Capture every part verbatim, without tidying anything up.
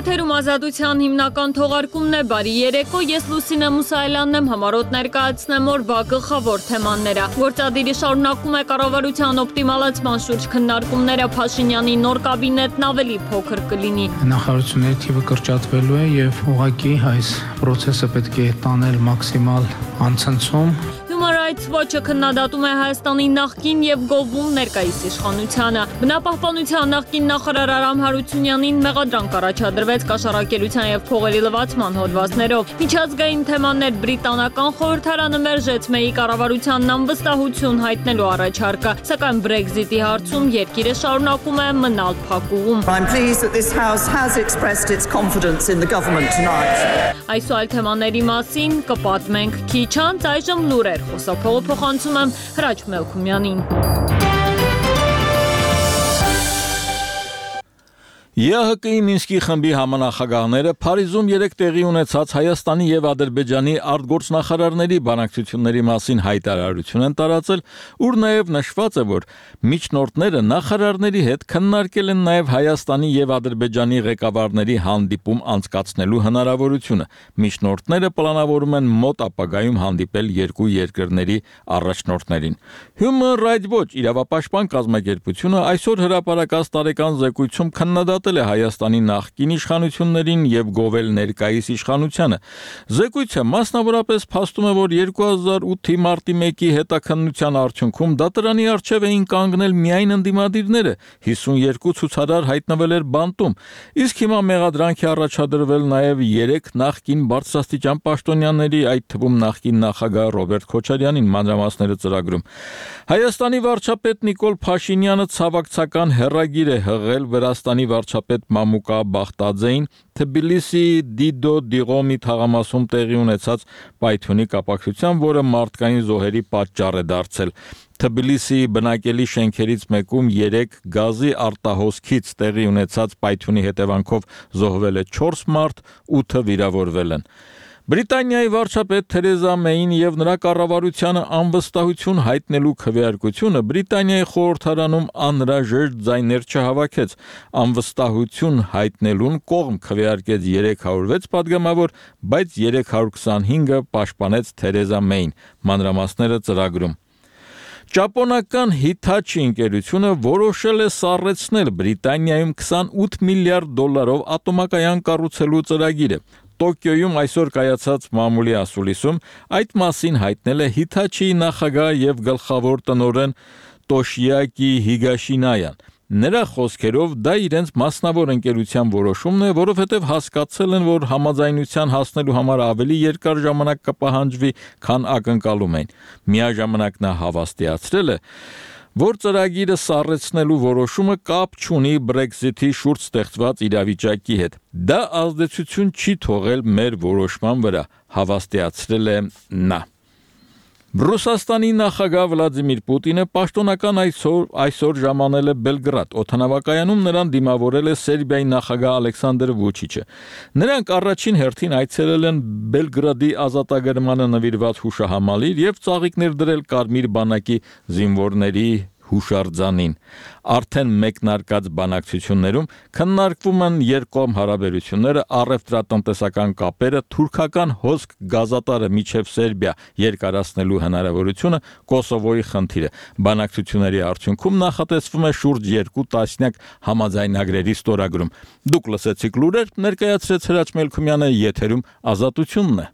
Եթերում ազատության հիմնական թողարկումն է, բարի երեկո, ես Լուսինե Մուսայելյանն եմ, համառոտ ներկայացնեմ օրվա գլխավոր թեմաները։ Գործադիրի շարունակում է կառավարության օպտիմալացման շուրջ քննարկումները, Փաշինյանի նոր կաբինետն ավելի փոքր կլինի։ Նախարարությունների թիվը կրճատվելու է եւ ուղղակի այս process-ը պետք է տանել մաքսիմալ անցնցում։ Human Rights Watch-ը քննադատում է Հայաստանի նախկին եւ գովում ներկայիս իշխանությանը։ Բնապահպանության նախկին նախարար Արամ Հարությունյանին մեղադրանք առաջադրվեց կաշառակերության եւ փողերի լվացման հոդվածներով։ Միջազգային թեմաներ բրիտանական խորհրդարանը մերժեց Մեյի կառավարությանն անվստահություն հայտնելու առաջարկը, սակայն Brexit-ի հարցում երկիրը շարունակում է մնալ փակուղում։ I'm pleased that this house has expressed its confidence in the government tonight. Այս ու այլ թեմաների մասին կպատմենք քիչ անց, այժմ լուրեր։ Խոսափողը փոխանցում եմ Հրաչ Մելքումյանին։ ԵԱՀԿ-ի Մինսկի խմբի համանախագահները Փարիզում երեկ տեղի ունեցած Հայաստանի եւ Ադրբեջանի արտգործնախարարների բանակցությունների մասին հայտարարություն են տարածել, ուր նաեւ նշված է, որ միջնորդները նախարարների հետ քննարկել են նաեւ Հայաստանի եւ Ադրբեջանի ղեկավարների հանդիպում անցկացնելու հնարավորությունը։ Միջնորդները պլանավորում են մոտ ապագայում հանդիպել երկու երկրների առաջնորդներին։ Human Rights Watch իրավապաշտպան կազմակերպությունը այսօր հրապարակած տարեկան զեկույցում քննադատել է Հայաստանի նախկին իշխանություններին եւ գովել ներկայիս իշխանությանը։ Զեկույցը մասնավորապես փաստում է, որ երկու հազար ութի մարտի մեկի հետաքննության արդյունքում դատարանի առջև էին կանգնել միայն ընդդիմադիրները, հիսունյոթ ցուցարար հայտնվել էր բանտում, իսկ հիմա մեղադրանք է առաջադրվել նաեւ երեք նախկին բարձրաստիճան պաշտոնյաների, այդ թվում նախկին նախագահ Ռոբերտ Քոչարյանին, մանրամասները ծրագրում։ Հայաստանի վարչապետ Նիկոլ Փաշինյանը ցավակցական հեռագիր է հղել Վրաստանի վարչապետ Մամուկա Բախտաձեին Թբիլիսի Դիդո Դիղոմի թաղամասում տեղի ունեցած պայթյունի կապակցությամբ, որը մարդկային զոհերի պատճառ է դարձել։ Թբիլիսի բնակելի շենքերից մեկում երեք գազի արտահոսքից տեղի ունեցած պայթյունի հետևանքով զոհվել է չորս մարդ, ութը վիրավորվել են։ Բրիտանիայի վարչապետ Թերեզա Մեյին եւ նրա կառավարությանը անվստահություն հայտնելու քվեարկությունը Բրիտանիայի խորհրդարանում անհրաժեշտ ձայներ չհավաքեց։ Անվստահություն հայտնելուն կողմ քվեարկեց երեք հարյուր վեց падգամավոր, բայց երեք հարյուր քսանհինգը պաշտպանեց Թերեզա Մեյին, մանրամասները ծրագրում։ Ճապոնական Hitachi ընկերությունը որոշել է սառեցնել Բրիտանիայում քսանութ միլիարդ դոլարով ատոմակայան կառուցելու ծրագիրը։ Տոկիոյում այսօր կայացած մամուլի ասուլիսում այդ մասին հայտնել է Hitachi-ի նախագահ եւ գլխավոր տնօրեն Տոշիակի Հիգաշինայան։ Նրա խոսքերով դա իրենց մասնավոր ընկերության որոշումն է, որովհետև հասկացել են, որ համաձայնության հասնելու համար ավելի երկար ժամանակ կպահանջվի, քան ակնկալում են։ Միաժամանակ նա հավաստիացրել է, որ ծրագիրը սառեցնելու որոշումը կապ չունի Brexit-ի շուրջ ստեղծված իրավիճակի հետ։ Դա ազդեցություն չի թողել մեր որոշման վրա, հավաստիացրել է նա։ Ռուսաստանի նախագահ Վլադիմիր Պուտինը պաշտոնական այսօր այսօր ժամանել է Բելգրադ, օդանավակայանում նրան դիմավորել է Սերբիայի նախագահ Ալեքսանդր Վուչիչը։ Նրանք առաջին հերթին այցելել են Բելգրադի ազատագրմանը նվիրված հուշահամալիր եւ ծաղիկներ դրել Կարմիր բանակի զինվորների հուշարձանին։ Արդեն մեկնարկած բանակցություններում քննարկվում են երկկողմ հարաբերությունները, առևտրատնտեսական կապերը, թուրքական հոսք գազատարը միջև Սերբիա երկարացնելու հնարավորությունը, Կոսովոյի խնդիրը։ Բանակցությունների արդյունքում նախատեսվում է շուրջ երկու տասնյակ համաձայնագրերի ստորագրում։ Դուք լսեցիք լուրեր, ներկայացրեց Հրաչ Մելքումյանը, եթերում ազատությունն է։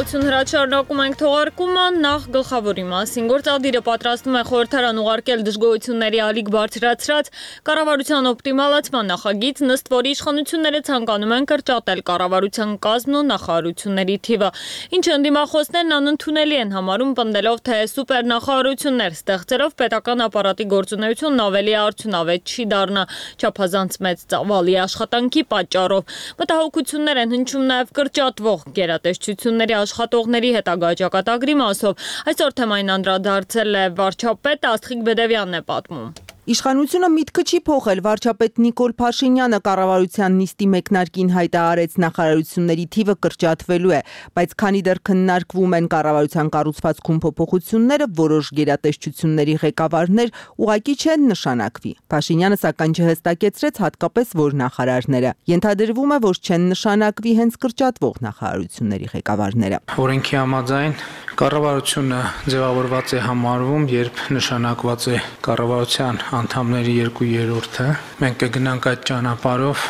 Հրաչարնակում ենք թողարկումը, նախ գլխավորի մասին։ Գործադիրը պատրաստվում է խորհրդարան ուղարկել դժգոհությունների ալիք բարձրացրած կառավարության օպտիմալացման նախագիծ, ըստ որի իշխանությունները ցանկանում են կրճատել կառավարության կազմն ու նախարարությունների թիվը, ինչը ընդդիմախոսներն անընդունելի են համարում, պնդելով, թե սուպեր նախարարություններ ստեղծելով պետական ապարատի գործունեությունն ավելի արդյունավետ չի դառնա, չափազանց մեծ ծավալի աշխատանքի պատճառով։ Մտահոգություններ են հնչում նաև կրճատվող գերատեսչությունների աշխատողների հետագա ճակատագրի մասով։ Այսօր թեմային անդրադարձել է վարչապետ Աստղիկ Բեդևյանն է պատմում։ Իշխանությունը միտքը չի փոխել, վարչապետ Նիկոլ Փաշինյանը կառավարության նիստի մեկնարկին հայտարարեց նախարարությունների թիվը կրճատվելու է, բայց քանի դեռ քննարկվում են կառավարության կառուցվածքում փոփոխությունները, որոշ գերատեսչությունների ղեկավարներ ուղղակի չեն նշանակվի։ Փաշինյանը սակայն չհստակեցրեց հատկապես որ նախարարները։ Ենթադրվում է, որ չեն նշանակվի հենց կրճատվող նախարարությունների ղեկավարները։ Օրենքի համաձայն կառավարությունը ձևավորված է համարվում, երբ նշանակված է կառավարության անդամների երկու երրորդը, մենք կգնանք այդ ճանապարհով,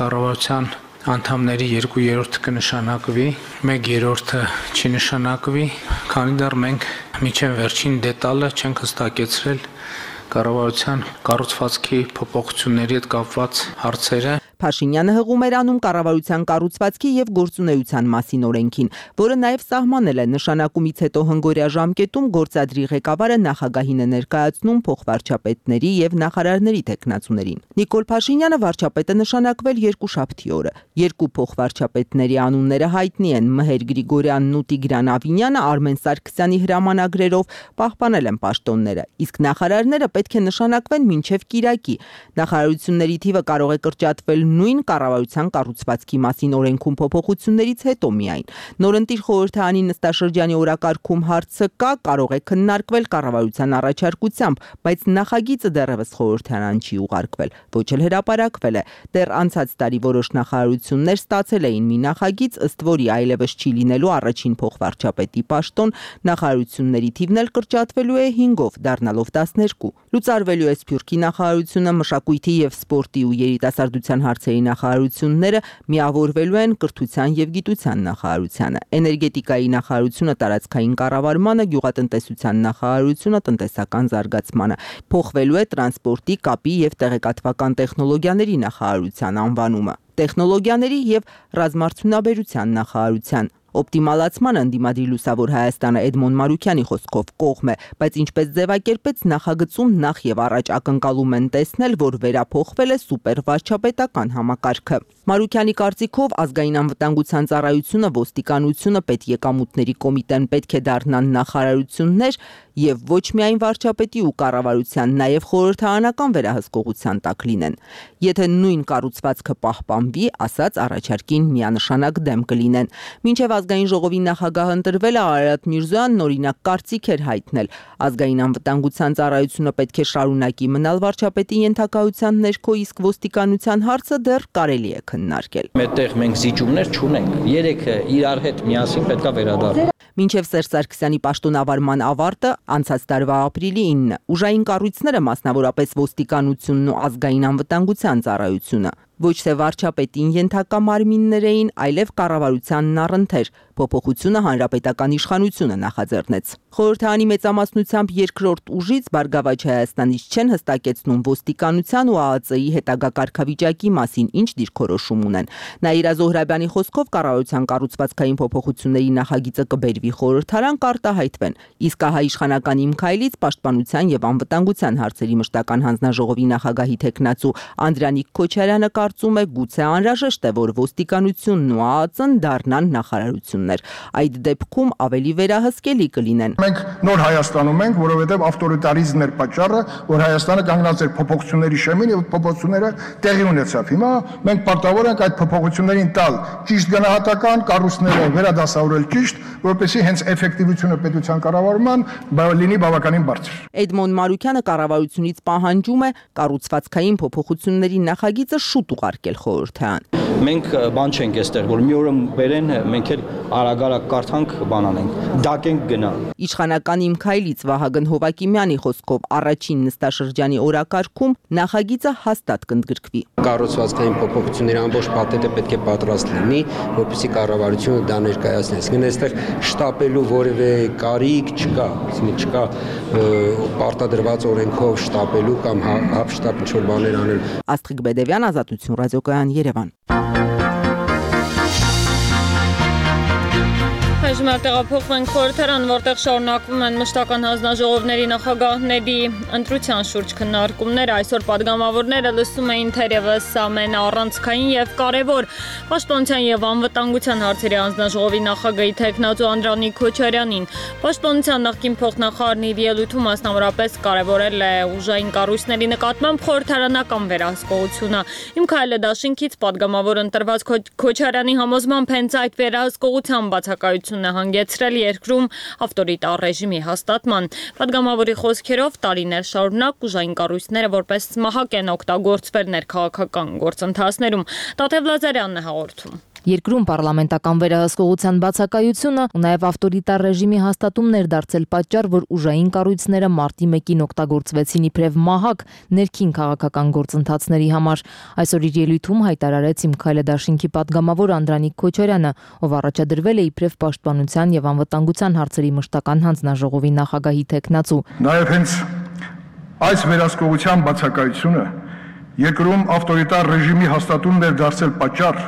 կառավարության անդամների երկու երրորդը կնշանակվի, մեկ երրորդը չի նշանակվի, քանի դեռ մենք միջև վերջին դետալը չենք հստակեցրել կառավարության կառուցվածքի փոփոխությունների հետ կապված հարցերը։ Փաշինյանը հղում էր անում կառավարության կառուցվածքի եւ գործունեության մասին օրենքին, որը նաեւ սահմանել է նշանակումից հետո հնգօրյա ժամկետում գործադրի ղեկավարը նախագահին է ներկայացնում փոխվարչապետների եւ նախարարների տեխնացուներին։ Նիկոլ Փաշինյանը վարչապետը նշանակվել երկուշաբթի օրը։ Երկու փոխվարչապետների անունները հայտնի են՝ Մհեր Գրիգորյանն ու Տիգրան Ավինյանը Արմեն Սարգսյանի հրամանագրերով պահպանել են պաշտոնները, իսկ նախարարները պետք է նշանակվեն մինչև կիրակի։ Նախարարությունների թիվը կարող է կրճատվել նույն կառավարության կառուցվածքի մասին օրենքում փոփոխություններից հետո միայն։ Նորընտիր խորհրդարանի նստաշրջանի օրակարգում հարցը կա, կարող է քննարկվել կառավարության առաջարկությամբ, բայց նախագիծը դեռևս խորհրդարան չի ուղարկվել, ոչ էլ հրապարակվել է։ Դեռ անցած տարի որոշ նախարարություններ ստացել էին մի նախագիծ, ըստ որի այլևս չի լինելու առաջին փոխվարչապետի պաշտոն, նախարարությունների թիվն էլ կրճատվելու է հինգով, դառնալով տասներկու։ Լուծարվելու է Սփյուռքի նախարարությունը, մշակույթի եւ սպորտի ու երիտասարդության հարցերի նախարարությունները միավորվելու են կրթության եւ գիտության նախարարությանը, էներգետիկայի նախարարությունը տարածքային կառավարմանը, գյուղատնտեսության նախարարությունը տնտեսական զարգացմանը, փոխվելու է տրանսպորտի, կապի եւ տեղեկատվական տեխնոլոգիաների նախարարության անվանումը, տեխնոլոգիաների եւ ռազմարդյունաբերության նախարարության։ Օպտիմալացմանը ընդդիմադիր Լուսավոր Հայաստանը Էդմոն Մարուկյանի խոսքով կողմ է, բայց ինչպես ձևակերպեց նախագծում նախ եւ առաջ ակնկալում են տեսնել, որ վերափոխվել է սուպերվարչապետական համակարգը։ Մարուկյանի կարծիքով ազգային անվտանգության ծառայությունը, ոստիկանությունը, պետեկամուտների կոմիտեն պետք է դառնան նախարարություններ եւ ոչ միայն վարչապետի ու կառավարության, նաեւ խորհրդարանական վերահսկողության տակ լինեն։ Եթե նույն կառուցվածքը պահպանվի, ասած առաջարկին միանշանակ դեմ կլինեն։ Մինչև ազգային ժողովի նախագահ ընտրվել է Արարատ Միրզոյանն օրինակ կարծիք էր հայտնել։ Ազգային անվտանգության ծառայությունը պետք է շարունակի մնալ վարչապետի ենթակայության ներքո, իսկ ոստիկանության հարցը դեռ կարելի է քննարկել։ Այդտեղ մենք զիջումներ չունենք։ Երեքը իրար հետ միասին պետքա վերադառնան։ Մինչև Սերժ Սարգսյանի պաշտոնավարման ավարտը անցած տարվա ապրիլի ինը ուժային կառույցները, մասնավորապես ոստիկանությունն ու ազգային անվտանգության ծառայությունը, ոչ թե վարչապետին ենթակա մարմիններ էին, այլև կառավարությանն առընթեր։ Փոփոխությունը հանրապետական իշխանությունը նախաձեռնեց։ Խորհրդարանի մեծամասնությամբ երկրորդ ուժից Բարգավաճ Հայաստանից չեն հստակեցնում ոստիկանության ու ԱԱԾ-ի հետագա կարգավիճակի մասին ինչ դիրքորոշում ունեն։ Նաիրա Զոհրաբյանի խոսքով կառավարության կառուցվածքային փոփոխությունների նախագիծը կբերվի խորհրդարան, կարտահայտվեն, իսկ ահա իշխանական Իմ Քայլից պաշտպանության եւ անվտանգության հարցերի մշտական հանձնաժողովի նախագահի տեխնացու Անդրանիկ Քոչարյանը կարծում է գուցե անհրաժեշտ է, որ ոստիկանությունն ու ԱԱԾ-ն դառնան նախարարություններ։ Այդ դեպքում ավելի վերահսկելի կլինեն։ Մենք նոր Հայաստանում ենք, որովհետև ավտորիտարիզմն էր պատճառը, որ Հայաստանը կանգնած էր փոփոխությունների շեմին եւ փոփոխությունները տեղի ունեցավ։ Հիմա մենք պարտավոր ենք այդ փոփոխություններին տալ ճիշտ գնահատական, կառույցները վերադասավորել ճիշտ, որպեսզի հենց էֆեկտիվությունը պետության կառավարման լինի բավականին բարձր։ Էդմոն Մարուկյանը կառավարությունից պահանջում է կառուցվածքային փոփոխությունների նախագիծը շուտ ուղարկել խորհրդարան։ Մենք բան չենք այստեղ, որ մի օրը բերեն, մենք էլ արագ-արագ կարդանք, բան անենք, դակենք գնա։ Իշխանական Իմ Քայլից Վահագն Հովակիմյանի խոսքով առաջին նստաշրջանի օրակարգում նախագիծը հաստատ կընդգրկվի։ Կառուցվածքային փոփոխությունների ամբողջ փաթեթը պետք է պատրաստ լինի, որպեսզի կառավարությունը դա ներկայացնի։ Այսինքն այստեղ շտապելու որևէ կարիք չկա, այսինքն չկա պարտադրված օրենքով շտապելու կամ հապշտապ ինչ-որ բաներ անել։ Աստղիկ Բեդևյան, Ազատություն ռադիոկայան, Երևան։ Այժմ տեղափոխվենք խորհրդարան, որտեղ շարունակվում են մշտական հանձնաժողովների նախագահների ընտրության շուրջ քննարկումները։ Այսօր падգամավորները լսում էին թերևս ամենաառանցքային եւ կարեւոր պաշտպանության եւ անվտանգության հարցերի հանձնաժողովի նախագահի թեկնածու Անդրանիկ Քոչարյանին։ Պաշտպանության նախկին փոխնախարարն իր ելույթում մասնավորապես կարևորել է ուժային կառույցների նկատմամբ խորհրդարանական վերահսկողությունը։ Իմ քայլը դաշինքից падգամավոր ընտրված Քոչարյանի համոզմամբ հենց այդ վերահսկողության բացակայությունն է հանգեցրել երկրում ավտորիտար ռեժիմի հաստատման։ Падգամավորի խոսքերով տարիներ շարունակ ուժային կառույցները որպես մահակ են օգտագործվել ներքաղաքական գործընթացներում։ Տաթև Լազարյանն է հաղորդում։ Երկրում պարլամենտական վերահսկողության բացակայությունը ու նաև ավտորիտար ռեժիմի հաստատումն էր դարձել պատճառ, որ ուժային կառույցները մարտի մեկին օգտագործվեցին իբրև մահակ ներքին քաղաքական գործընթացների համար։ Այսօր իր ելույթում հայտարարեց Իմ քայլը դաշինքի падգամավոր Անդրանիկ Քոչարյանը, ով առաջադրվել է իբրև պաշտպանության եւ անվտանգության հարցերի մշտական հանձնաժողովի նախագահի թեկնածու։ Նաև հենց այս վերահսկողության բացակայությունը երկրում ավտորիտար ռեժիմի հաստատումն էր դարձել պատճառ,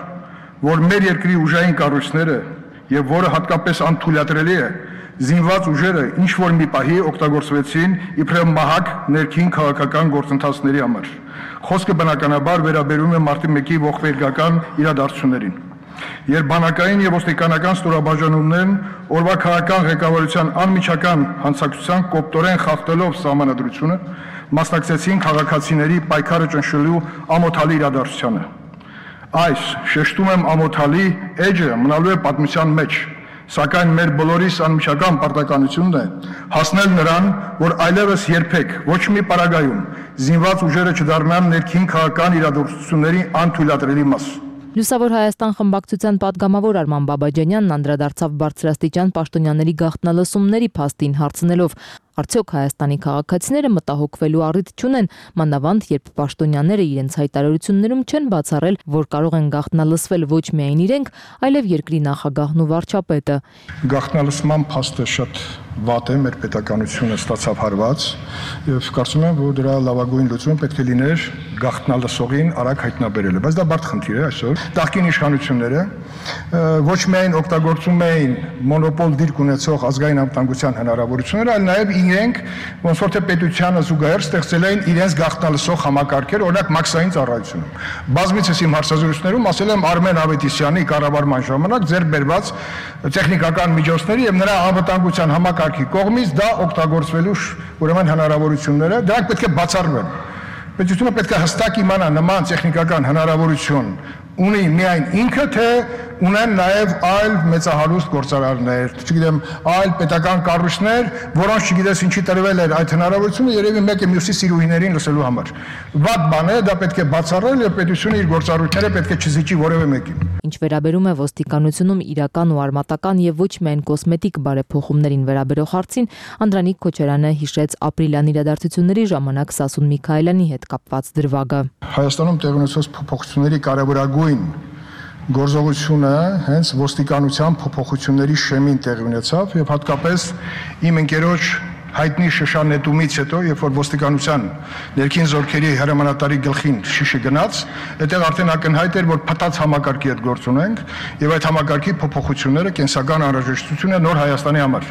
որ մեր երկրի ուժային կառույցները եւ որը հատկապես անթույլատրելի է զինված ուժերը ինչ որ մի պահի օգտագործվեցին իբրև մահակ ներքին քաղաքական գործընթացների համար։ Խոսքը բնականաբար վերաբերում է մարտի մեկի ողբերգական իրադարձություններին։ Երբ բանակային եւ ոստիկանական ստորաբաժանումներն օրվա քաղաքական ղեկավարության անմիջական հանցակցության կոպտորեն խախտելով սահմանադրությունը մասնակցեցին քաղաքացիների պայքարը ճնշելու ամոթալի իրադարձությանը։ Այս շեշտում եմ ամոթալի էջը մնալու է պատմության մեջ, սակայն մեր բոլորիս անմիջական պարտականությունն է հասնել նրան, որ այլևս երբեք ոչ մի պարագայում զինված ուժերը չդառնան ներքին քաղաքական իրադարձությունների անթույլատրելի մաս։ Լուսավոր Հայաստան խմբակցության падգամավոր Արման Բաբաջանյանն անդրադարձավ բարձրաստիճան պաշտոնյաների գաղտնալսումների փաստին հարցնելով. Արդյոք Հայաստանի քաղաքացիները մտահոգվելու առիթ չունեն, մանավանդ երբ պաշտոնյաները իրենց հայտարարություններում չեն բացառել, որ կարող են գաղտնալսվել ոչ միայն իրենք, այլև երկրի նախագահն ու վարչապետը։ Գաղտնալսման փաստը շատ վատ է, մեր պետականությունը ստացավ հարված եւ կարծում եմ, որ դրա լավագույն լուծումը պետք է լիներ գաղտնալսողին արագ հայտնաբերելը, բայց դա բարդ խնդիր է այսօր։ Նախկին իշխանությունները ոչ միայն օգտագործում էին մոնոպոլ դիրք ունեցող ազգային անվտանգության հնարավորությունները, այլ նաեւ իրենք ոնց որ թե պետությանը զուգահեռ ստեղծել էին իրենց գաղտնալսող համակարգեր, օրինակ մաքսային ծառայությունում։ Բազմիցս իմ հարցազրույցներում ասել եմ Արմեն Ավետիսյանի կառավարման ժամանակ ձեռք բերված տեխնիկական միջոցների եւ նրա անվտանգության համակարգի կողմից դա օգտագործվելու ուրեմն հնարավորությունները, դրանք պետք է բացառվեն։ Պետությունը պետք է հստակ իմանա նման տեխնիկական հնարավորություն ունի միայն ինքը, թե ունեն նաև այլ մեծահարուստ գործարարներ, չգիտեմ, այլ պետական կառույցներ, որոնց չգիտես ինչի տրվել էր այդ հնարավորությունը, երևի մեկը մյուսի սիրուհիներին լսելու համար։ Վատ բան է, դա պետք է բացառել եւ պետությունը իր գործառույթները պետք է չզիջի որևէ մեկին։ Ինչ վերաբերում է ոստիկանությունում իրական ու արմատական եւ ոչ միայն կոսմետիկ բարեփոխումներին վերաբերող հարցին, Անդրանիկ Քոչարյանը հիշեց ապրիլյան իրադարձությունների ժամանակ Սասուն Միքայելյանի հետ կապված դրվագը։ Հայաստանում տեղի ունեցած փոփոխությունների կարևորագույն գործողությունը հենց ոստիկանության փոփոխությունների շեմին տեղի ունեցավ եւ հատկապես իմ ընկերոջ հայտնի շշանետումից հետո, երբ որ ոստիկանության ներքին զորքերի հրամանատարի գլխին շիշը գնաց, այդտեղ արդեն ակնհայտ էր, որ փտած համակարգի հետ գործ ունենք եւ այդ համակարգի փոփոխությունները կենսական անհրաժեշտություն է նոր Հայաստանի համար։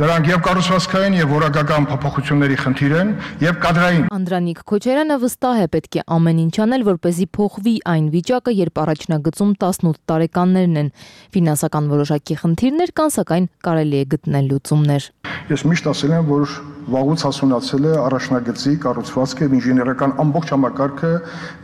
Դրանք եւ կառուցվածքային եւ որակական փոփոխությունների խնդիր են եւ կադրային։ Անդրանիկ Քոչարյանը վստահ է պետք է ամեն ինչ անել, որպեսզի փոխվի այն վիճակը, երբ առաջնագծում տասնութ տարեկաններն են։ Ֆինանսական որոշակի խնդիրներ կան, սակայն կարելի է գտնել լուծումներ։ Ես միշտ ասել եմ, որ վաղուց հասունացել է առաջնագծի կառուցվածքը, ինժեներական ամբողջ համակարգը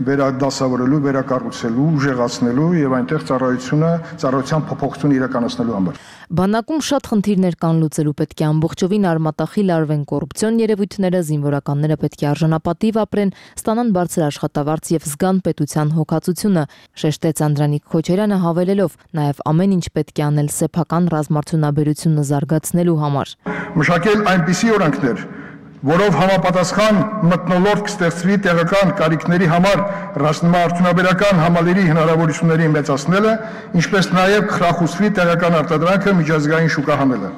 վերադասավորելու, վերակառուցելու, ուժեղացնելու եւ այնտեղ ծառայությունը, ծառայության փոփոխություն իրականացնելու համար։ Բանակում շատ խնդիրներ կան լուծելու, պետք է ամբողջովին արմատախիլ արվեն կոռուպցիոն երևույթները, զինվորականները պետք է արժանապատիվ ապրեն, ստանան բարձր աշխատավարձ եւ զգան պետության հոգացությունը, շեշտեց Անդրանիկ Քոչարյանը հավելելով, նաեւ ամեն ինչ պետք է անել սեփական ռազմարտունաբերությունը զարգացնելու համար։ Մշակել այնպիսի օրենքներ, որով համապատասխան մթնոլորտ կստեղծվի տեղական կարիքների համար ռազմաարդյունաբերական համալիրի հնարավորությունների մեծացնելը, ինչպես նաև կխրախուսվի տեղական արտադրանքը միջազգային շուկա հանելը։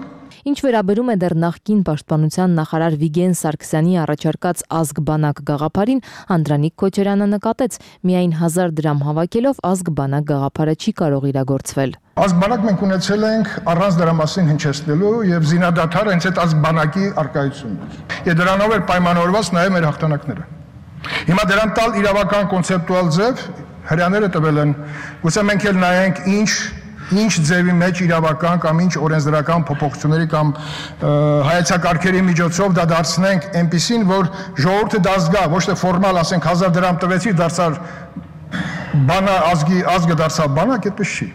Ինչ վերաբերում է դեռ նախկին պաշտպանության նախարար Վիգեն Սարգսյանի առաջարկած ազգ-բանակ գաղափարին, Անդրանիկ Քոչարյանը նկատեց, միայն հազար դրամ հավաքելով ազգ-բանակ գաղափարը չի կարող իրագործվել։ Ազգ-բանակ մենք ունեցել ենք առանց դրամասին հնչեցնելու եւ զինադադարը հենց այդ ազգ-բանակի արկայությունն էր։ Եվ դրանով էր պայմանավորված նաեւ մեր հաղթանակները։ Հիմա դրան տալ իրավական կոնցեպտուալ ձև հրյաները տվել են, գուցե մենք էլ նայենք ինչ ինչ ձևի մեջ իրավական կամ ինչ օրենսդրական փոփոխությունների կամ հայեցակարգերի միջոցով դա դարձնենք այնպիսին, որ ժողովուրդը դա զգա, ոչ թե ֆորմալ ասենք հազար դրամ տվեցի, դարձար բանա ազգի ազգը դարձավ բանակ, այդպես չի։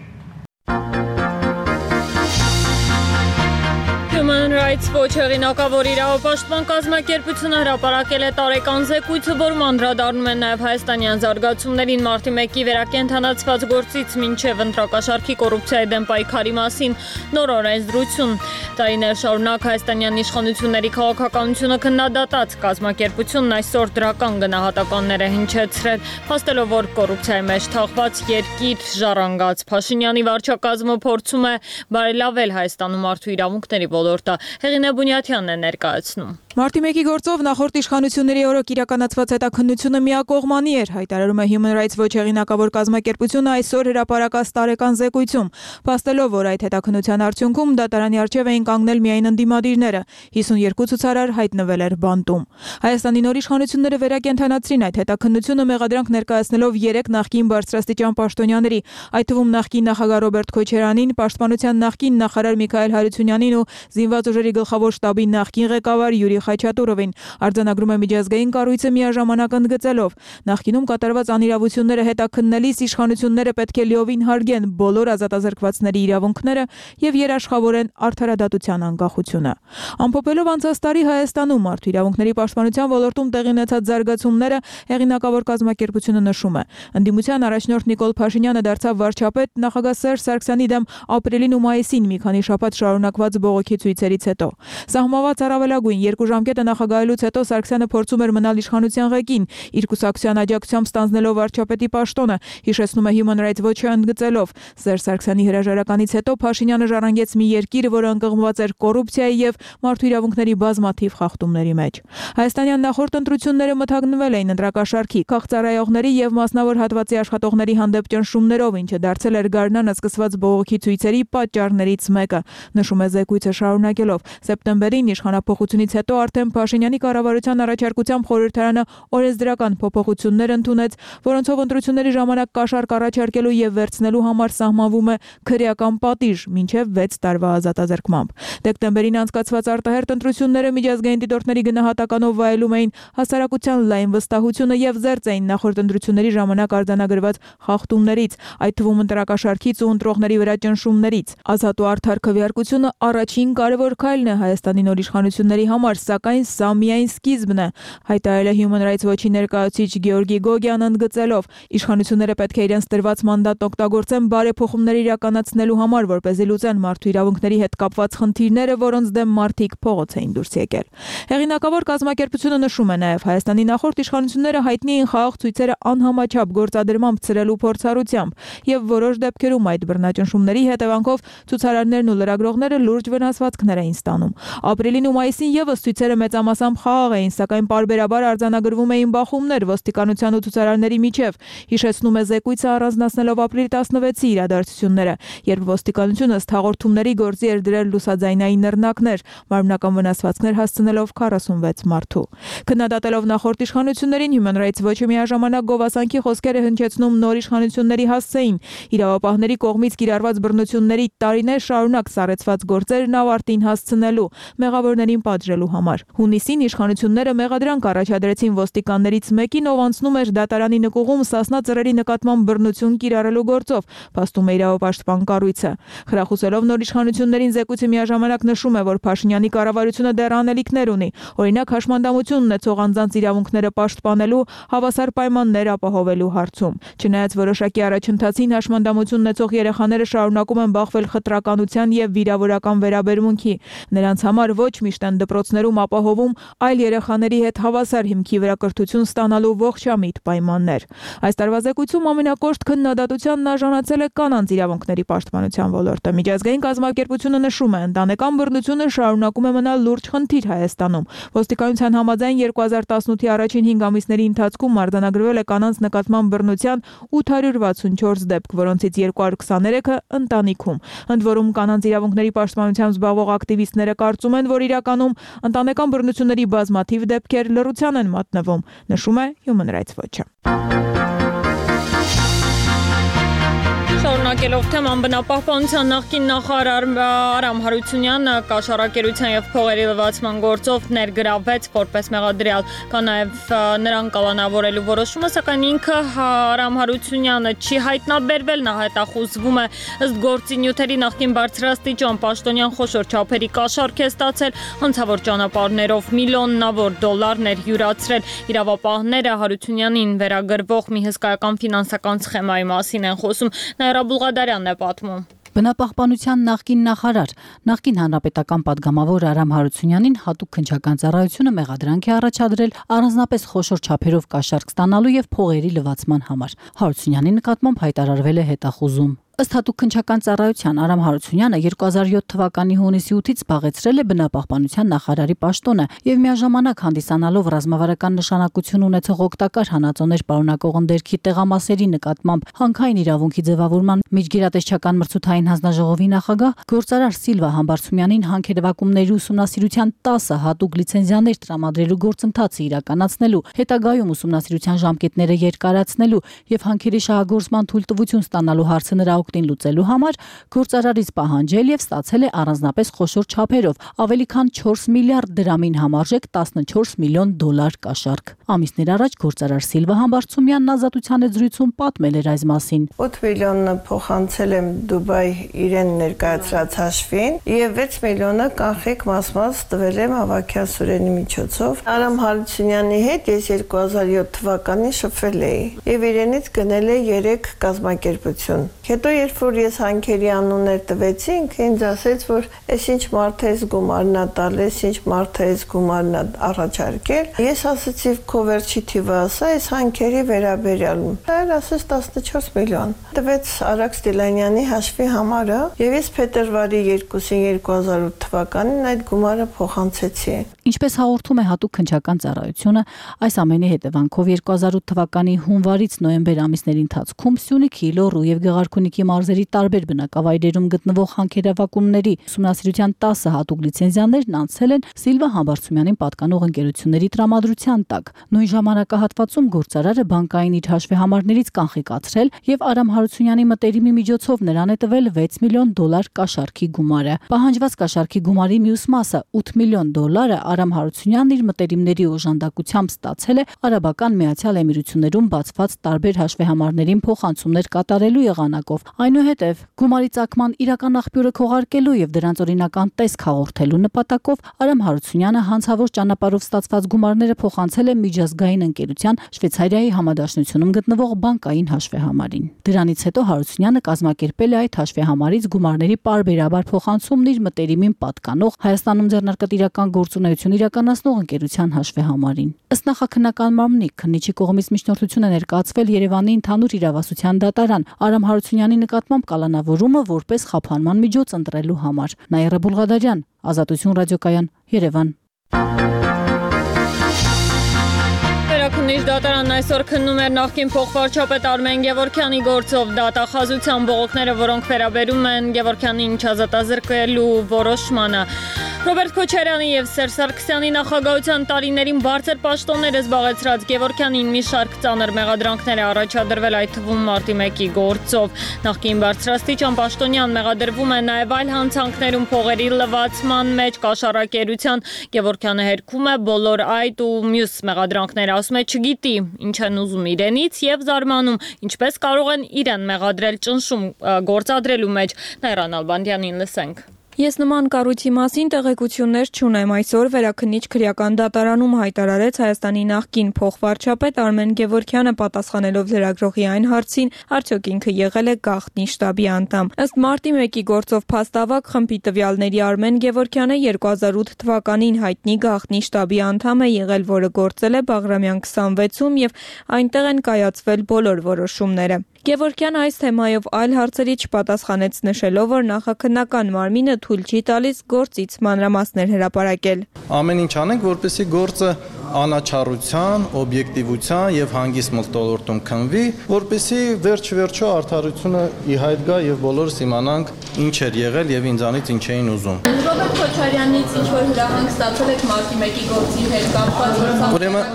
Human Rights Watch հեղինակավոր իրավապաշտպան կազմակերպությունը հրապարակել է տարեկան զեկույցը, որում անդրադառնում են նաև հայաստանյան զարգացումներին մարտի մեկի վերակենդանացված գործից մինչև ընտրակաշառքի կոռուպցիայի դեմ պայքարի մասին նոր օրենսդրություն։ Տարիներ շարունակ հայաստանյան իշխանությունների քաղաքականությունը քննադատած կազմակերպությունն այսօր դրական գնահատականներ է հնչեցրել, փաստելով, որ կոռուպցիայի մեջ թաղված երկիր ժառանգած Փաշինյանի վարչակազմը փորձում է բարելավել Հայաստանում մարդու իրավունքների ոլորտը։ Հեղինե Բունյաթյանն է ներկայացնում։ Մարտի մեկի գործով նախորդ իշխանությունների օրոք իրականացված հետաքննությունը միակողմանի էր, հայտարարում է Human Rights Watch հեղինակավոր կազմակերպությունը այսօր հրապարակած տարեկան զեկույցում, փաստելով, որ այդ հետաքննության արդյունքում դատարանի առջև էին կանգնել միայն ընդդիմադիրները, հիսունյոթ ցուցարար հայտնվել էր բանտում։ Հայաստանի նոր իշխանությունները վերակենդանացրին այդ հետաքննությունը մեղադրանք ներկայացնելով երեք նախկին բարձրաստիճան պաշտոնյաների, այդ թվում նախկին նախագահ Ռոբերտ Քոչարյանին, պաշտպանության նախկին նախարար Միքայել Հարությունյանին ու զինված ուժերի գլխավոր շտաբի նախկին ղեկավար Յուրի Խաչատուրովին, արձանագրում է միջազգային կառույցը միաժամանակ ընդգծելով. նախկինում կատարված անիրավությունները հետաքննելիս իշխանությունները պետք է լիովին հարգեն բոլոր ազատազրկվածների իրավունքները եւ երաշխավորեն արդարադատության անկախությունը։ Ամփոփելով անցած տարի Հայաստանում մարդու իրավունքների պաշտպանության ոլորտում տեղի ունեցած զարգացումները, հեղինակավոր կազմակերպությունը նշում է. ընդդիմության առաջնորդ Նիկոլ Փաշինյանը դարձավ վարչապետ նախագահ Սերժ Սարգսյանի դեմ ապրիլին ու մայիսին մի քանի շաբաթ շարունակված բողոքի ցույցերից հետո։ Սահմանված առավելագույն երկու ժամկետը նախագահելուց հետո Սարգսյանը փորձում էր մնալ իշխանության ղեկին, իր կուսակցության աջակցությամբ ստանձնելով վարչապետի պաշտոնը, հիշեցնում է Human Rights Watch-ը ընդգծելով. Սերժ Սարգսյանի հրաժարականից հետո Փաշինյանը ժառանգեց մի երկիր, որը ընկղմված էր կոռուպցիայի եւ մարդու իրավունքների բազմաթիվ խախտումների մեջ։ Հայաստանյան նախորդ ընտրությունները մթագնվել էին ընտրակաշառքի, քաղցարայողների եւ մասնավոր հատվածի աշխատողների հանդեպ ճնշումներով, ինչը դարձել էր գարնանը սկսված բողոքի ցույցերի պատճառներից մեկը, նշում է զեկույցը շարունակելով. սեպտեմբերին իշխանափոխությունից հետո արդեն Փաշինյանի կառավարության առաջարկությամբ խորհրդարանը օրենսդրական փոփոխություններ ընդունեց, որոնցով ընտրությունների ժամանակ կաշառք առաջարկելու եւ վերցնելու համար սահմանվում է քրեական պատիժ մինչեւ վեց տարվա ազատազրկմամբ։ Դեկտեմբերին անցկացված արտահերթ ընտրությունները միջազգային դիտորդների գնահատականով վայելում էին հասարակության լայն վստահությունը եւ զերծ էին նախորդ ընտրությունների ժամանակ արձանագրված խախտումներից, այդ թվում ընտրակաշառքից ու ընտրողների վրա ճնշումներից։ Ազատ ու արդար քվեարկությունը առաջին կարևոր քայլն է Հայաստանի նոր իշխանությունների համար, սակայն սա միայն սկիզբն է, հայտարարել է Human Rights Watch-ի ներկայացուցիչ Գեորգի Գոգյան ընդգծելով. իշխանությունները պետք է իրենց տրված մանդատն օգտագործեն բարեփոխումներ իրականացնելու համար, որպեսզի լուծեն մարդու իրավունքների հետ կապված խնդիրները, որոնց դեմ մարդիկ փողոց էին դուրս եկել։ Հեղինակավոր կազմակերպությունը նշում է նաև Հայաստանի նախորդ իշխանությունները հայտնի էին խաղաղ ցույցերը անհամաչափ գործադրմամբ ցրելու փորձառությամբ եւ որոշ դեպքերում այդ բռնաճնշումների հետևանքով ցուցարարներն ու լրագրողները լուրջ վնասվածքներ էին ստանում։ Ապրիլին ու մայիսին եւս ցույցերը մեծամասամբ խաղաղ էին, սակայն պարբերաբար արձանագրվում էին բախումներ ոստիկանության ու ցուցարարների միջև, հիշեցնում է զեկույցը առանձնացնելով ապրիլի տասնվեցի իրադարձությունները, երբ ոստիկանությունը ըստ հաղորդումների գործի էր դրել լուսաձայնային նռնակներ, մարմնական վնասվածքներ հասցնելով քառասունվեց մարդու։ Քննադատելով նախորդ իշխանություններին, Human Rights Watch-ը միաժամանակ գովասանքի խոսքեր է հնչեցնում նոր իշխանությունների հասցեին, իրավապահների կողմից կիրառված բռնությունների տարիներ շարունակ սառեցված գործերն ավարտին հասցնելու, մեղավորներին պատժելու համար։ Հունիսին իշխանությունները մեղադրանք առաջադրեցին ոստիկաններից մեկին, ով անցնում էր դատարանի նկուղում Սասնա ծռերի նկատմամբ բռնություն կիրառելու գործով, փաստում է իրավապաշտպան կառույցը։ Խրախուսելով նոր իշխանություններին, զեկույցը միաժամանակ նշում է, որ Փաշինյանի կառավարությունը դեռ անելիքներ ունի, օրինակ հաշմանդամություն ունեցող անձանց իրավունքները պաշտպանելու, հավասար պայմաններ ապահովելու հարցում։ Չնայած որոշակի առաջընթացին, հաշմանդամություն ունեցող երեխաները շարունակում են բախվել խտրականության եւ վիրավորական վերաբերմունքի։ Նրանց համար ոչ միշտ են դպրոցներում ապահովում այլ երեխաների հետ հավասար հիմքի վրա կրթություն ստանալու ողջամիտ պայմաններ։ Այս տարվա զեկույցում ամենակոշտ քննադատությանն արժանացել է կանանց իրավունքների պաշտպանության ոլորտը։ Միջազգային կազմակերպությունը նշում է, ընտանեկան բռնությունը շարունակում է մնալ լուրջ խնդիր Հայաստանում։ Ոստիկանության համաձայն երկու հազար տասնութի առաջին հինգ ամիսների ընթացքում արձանագրվել է կանանց նկատմամբ բռնության ութ հարյուր վաթսունչորս դեպք, որոնցից երկու հարյուր քսաներեքը ընտանիքում։ Ընդ որում կանանց իրավունքների պաշտպանությամբ զբաղվող ակտիվիստները կարծում են, որ իրականում ընտանեկան բռնությունների բազմաթիվ դեպքեր լռության են մատնվում, նշում է Human Rights Watch-ը։ Շարունակելով թեման, բնապահպանության նախկին նախարար Արամ Հարությունյանը կաշառակերության եւ փողերի լվացման գործով ներգրավվեց որպես մեղադրյալ, կա նաեւ նրան կալանավորելու որոշումը, սակայն ինքը Արամ Հարությունյանը չի հայտնաբերվել, նա հետախուզվում է ըստ գործի նյութերի նախկին բարձրաստիճան պաշտոնյան խոշոր չափերի կաշառք է ստացել, հանցավոր ճանապարհներով միլիոնավոր դոլարներ յուրացրել։ Իրավապահները Հարությունյանին վերագրվող մի հսկայական ֆինանսական սխեմայի մասին են խոսում։ Նաիրա Բուլղադարյանն է պատմում։ Բնապահպանության նախկին նախարար, նախկին հանրապետական падգամավոր Արամ Հարությունյանին հատուկ քննչական ծառայությունը մեղադրանք է առաջադրել առանձնապես խոշոր չափերով կաշառք ստանալու եւ փողերի լվացման համար։ Հարությունյանի նկատմամբ հայտարարվել է հետախուզում։ Ըստ հատուկ քննչական ծառայության Արամ Հարությունյանը երկու հազար յոթ թվականի հունիսի ութից զբաղեցրել է բնապահպանության նախարարի պաշտոնը եւ միաժամանակ հանդիսանալով ռազմավարական նշանակություն ունեցող օգտակար հանածոներ պարունակող ընդերքի տեղամասերի նկատմամբ հանքային իրավունքի ձևավորման միջգերատեսչական մրցութային հանձնաժողովի նախագահ գործարար Սիլվա Համբարձումյանին հանքերևակումների ուսումնասիրության տասը հատուկ լիցենզիաներ տրամադրելու գործընթացը իրականացնելու, հետագայում ուսումնասիրության ժամկետները երկարացնելու եւ հանքերի շահագործման թույլտվություն ստանալու հարցը նրա օգտին լուծելու համար գործարարից պահանջել եւ ստացել է առանձնապես խոշոր չափերով ավելի քան չորս միլիարդ դրամին համարժեք տասնչորս միլիոն դոլար կաշառք։ Ամիսներ առաջ գործարար Սիլվա Համբարձումյանն ազատության հետ զրույցում պատմել էր այս մասին։ ութ միլիոնը փոխանցել եմ Դուբայ իրեն ներկայացրած հաշվին եւ վեց միլիոնը կանխիկ մաս-մաս տվել եմ Ավագյան Սուրենի միջոցով։ Արամ Հարությունյանի հետ ես երկու հազար յոթ թվականին շփվել էի եւ իրենից գնել է երեք կազմակերպություն։ Հետո երբ որ ես հանքերի անուններ տվեցինք, ինձ ասեց, որ այս ինչ մարդ է գումարն տալիս, ինչ մարդ է գումարն առաջարկել։ Ես ասացի, քո վերջի թիվը ասա, այս հանքերի վերաբերյալում։ Այլ ասեց տասնչորս միլիոն։ Տվեց Արաքս Դիլանյանի հաշվի համարը, եւ ես փետրվարի երկուսին երկու հազար ութ թվականին այդ գումարը փոխանցեցի։ Ինչպես հաղորդում է հատուկ քննչական ծառայությունը, այս ամենի հետևանքով երկու հազար ութ թվականի հունվարից նոյեմբեր ամիսների ընթացքում Սյունիքի, Լոռու եւ Գեղարքունիքի մարզերի տարբեր բնակավայրերում գտնվող հանքերավակումների ուսումնասիրության տասը հատուկ լիցենզիաներն անցել են Սիլվա Համբարձումյանին պատկանող ընկերությունների տրամադրության տակ։ Նույն ժամանակահատվածում գործարարը բանկային իր հաշվեհամարներից կանխիկացրել եւ Արամ Հարությունյանի մտերիմի միջոցով նրան է տվել վեց միլիոն դոլար կաշառքի գումարը։ Պահանջված կաշառքի գումարի մյուս մասը ութ միլիոն դոլարը Արամ Հարությունյանն իր մտերիմների օժանդակությամբ ստացել է Արաբական Միացյալ Էմիրություններում բացված տարբեր հաշվեհամարներին փոխանցումներ կատարելու եղանակով։ Այնուհետև գումարի ծագման իրական աղբյուրը քողարկելու եւ դրանց օրինական տեսք հաղորդելու նպատակով Արամ Հարությունյանը հանցավոր ճանապարհով ստացված գումարները փոխանցել է միջազգային ընկերության Շվեյցարիայի համադաշնությունում գտնվող բանկային հաշվեհամարին։ Դրանից հետո Հարությունյանը կազմակերպել է այդ հաշվեհամարից գումարների պարբերաբար փոխանցումն իր մտերիմին պատկանող Հայաստանում ձեռնարկատիրական գործունեություն իրականացնող ընկերության հաշվեհամարին։ Ըստ նախաքննական մարմնի քննիչի կողմից միջնորդություն է ներկայացվել Երևանի ընդհանուր իրավասության դատարան Արամ Հարությունյանի նկատմամբ կալանավորումը որպես խափանման միջոց ընտրելու համար։ Նաիրա Բուլղադարյան, Ազատություն ռադիոկայան, Երևան։ Քննիչ դատարանն այսօր քննում էր նախկին փոխվարչապետ Արմեն Գևորգյանի գործով դատախազության բողոքները, որոնք վերաբերում են Գևորգյանին չազատազրկելու որոշմանը։ Ռոբերտ Քոչարյանի եւ Սերժ Սարգսյանի նախագահության տարիներին բարձր պաշտոններ զբաղեցրած Գևորգյանին մի շարք ծանր մեղադրանքներ է առաջադրվել, այդ թվում մարտի մեկի գործով։ Նախկին բարձրաստիճան պաշտոնյան մեղադրվում է նաեւ այլ հանցանքներում փողերի լվացման մեջ կաշառակերության։ Գևորգյանը հերքում է բոլոր այդ ու մյուս մեղադրանքները, ասում է չգիտի ինչ են ուզում իրենից եւ զարմանում, ինչպես կարող են իրեն մեղադրել ճնշում գործադրելու մեջ։ Նաիրա Նալբանդյանին լսենք։ Ես նման կառույցի մասին տեղեկություններ չունեմ, այսօր Վերաքննիչ քրեական դատարանում հայտարարեց Հայաստանի նախկին փոխվարչապետ Արմեն Գևորգյանը պատասխանելով լրագրողի այն հարցին, արդյոք ինքը եղել է գաղտնի շտաբի անդամ։ Ըստ մարտի մեկի գործով փաստավակ խմբի տվյալների Արմեն Գևորգյանը երկու հազար ութ թվականին հայտնի գաղտնի շտաբի անդամ է եղել, որը գործել է Բաղրամյան քսանվեցում եւ այնտեղ են կայացվել բոլոր որոշումները։ Գևորգյանը այս թեմայով այլ հարցերի չպատասխանեց, նշելով, որ նախաքննական մարմինը թույլ չի տալիս գործից մանրամասներ հրապարակել։ Ամեն ինչ անենք, որպեսզի գործը անաչառության, օբյեկտիվության եւ հանգիստ մթնոլորտում քննվի, որպեսզի վերջ-վերջո արդարությունը ի հայտ գա եւ բոլորս իմանանք ինչ էր եղել եւ ինձանից ինչ էին ուզում։ Ռոբերտ Քոչարյանից ինչ որ հրահանգ ստացել եք մարտի մեկի գործի հետ կապված։ Ուրեմն,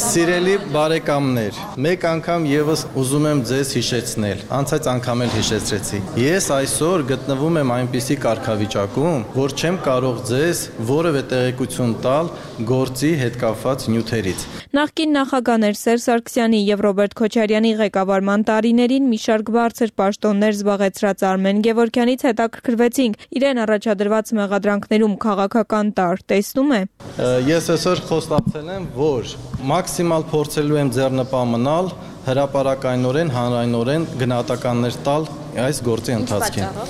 սիրելի բարեկամներ, մեկ անգամ եւս ուզում եմ ձեզ հիշեցնել, անցած անգամ էլ հիշեցրեցի։ Ես այսօր գտնվում եմ այնպիսի կարգավիճակում, որ չեմ կարող ձեզ որևէ տեղեկություն տալ գործի հետ կապված նյութերից։ Նախկին նախագաներ Սերժ Սարգսյանի եւ Ռոբերտ Քոչարյանի ղեկավարման տարիներին մի շարք բարձր պաշտոններ զբաղեցրած Արմեն Գևորգյանից հետաքրքրվեցինք իրեն առաջադրված մեղադրանքներում քաղաքական տար տեսնում է։ Ես այսօր խոստացել եմ, որ մաքսիմալ փորձելու եմ ձեռնպահ մնալ հրապարակայնորեն, հանրայնորեն գնահատականներ տալ այս գործի ընթացքին։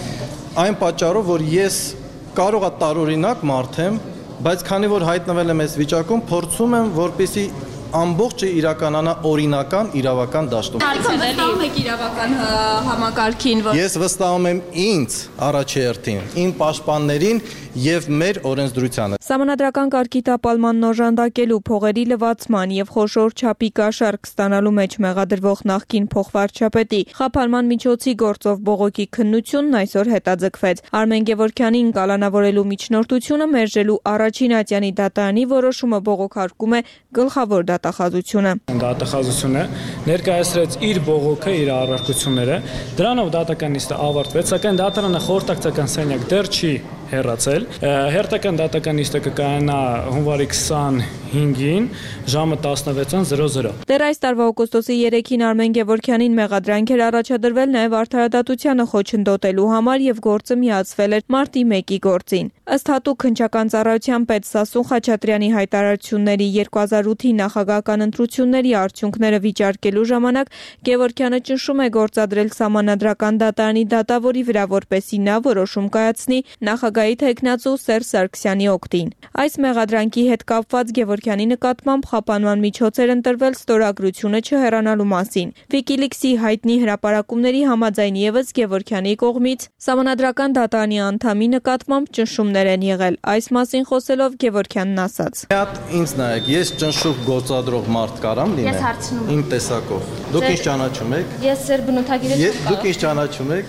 Այն պատճառով, որ ես կարող եմ տարօրինակ մարդ եմ, բայց քանի որ հայտնվել եմ այս վիճակում, փորձում եմ, որպեսզի ամբողջը իրականանա օրինական իրավական դաշտում։ Վստահում եք իրավական համակարգին, որ Ես վստահում եմ ինձ առաջերտին, իմ պաշտպաններին եւ մեր օրենսդրությանը։ Սահմանադրական կարգի տապալման օժանդակելու, փողերի լվացման եւ խոշոր չափի կաշառք ստանալու մեջ մեղադրվող նախկին փոխվարչապետի խափանման միջոցի գործով բողոքի քննությունն այսօր հետաձգվեց։ Արմեն Գևորգյանին կալանավորելու միջնորդությունը մերժելու առաջին ատյանի դատարանի որոշումը բողոքարկում է գլխավոր դատախազությունը։ Դատախազությունը ներկայացրեց իր բողոքը, իր առարկությունները, դրանով դատական նիստը ավարտվեց, սակայն դատարանը խորհրդակցական սենյակ դեռ չի հեռացել։ Հերթական դատական նիստը կկայանա հունվարի քսանհինգին ժամը տասնվեցն զրո զրո։ Դեռ այս տարվա օգոստոսի երեքին Արմեն Գևորգյանին մեղադրանք էր առաջադրվել նաև արդարադատությանը խոչընդոտելու համար եւ գործը միացվել էր մարտի մեկի գործին։ Ըստ հատուկ քննչական ծառայության պետ Սասուն Խաչատրյանի հայտարարությունների երկու հազար ութի նախագահական ընտրությունների արդյունքները վիճարկելու ժամանակ Գևորգյանը ճնշում է գործադրել սահմանադրական դատարանի դատավորի վրա, որպեսզի նա որոշում կայացնի նախագահի թեկնածու Սերժ Սարգսյանի օգտին։ Այս մեղադրանքի հետ կապված Գևորգյանի նկատմամբ խափանման միջոց էր ընտրվել ստորագրությունը չհեռանալու մասին։ Wikileaks-ի հայտնի հրապարակումների համաձայն եւս Գևորգյանի կողմից սահմանադրական դատարանի անդամի նկատմամբ ճնշումներ են եղել։ Այս մասին խոսելով Գևորգյանն ասաց. Հատ ինձ նայեք, ես ճնշող գործադրող մարդ կարամ լինեմ իմ տեսակով։ Դուք ինչ ճանաչում եք։ Ես ձեր բնութագիրը չեմ։ Դուք ինչ ճանաչում եք։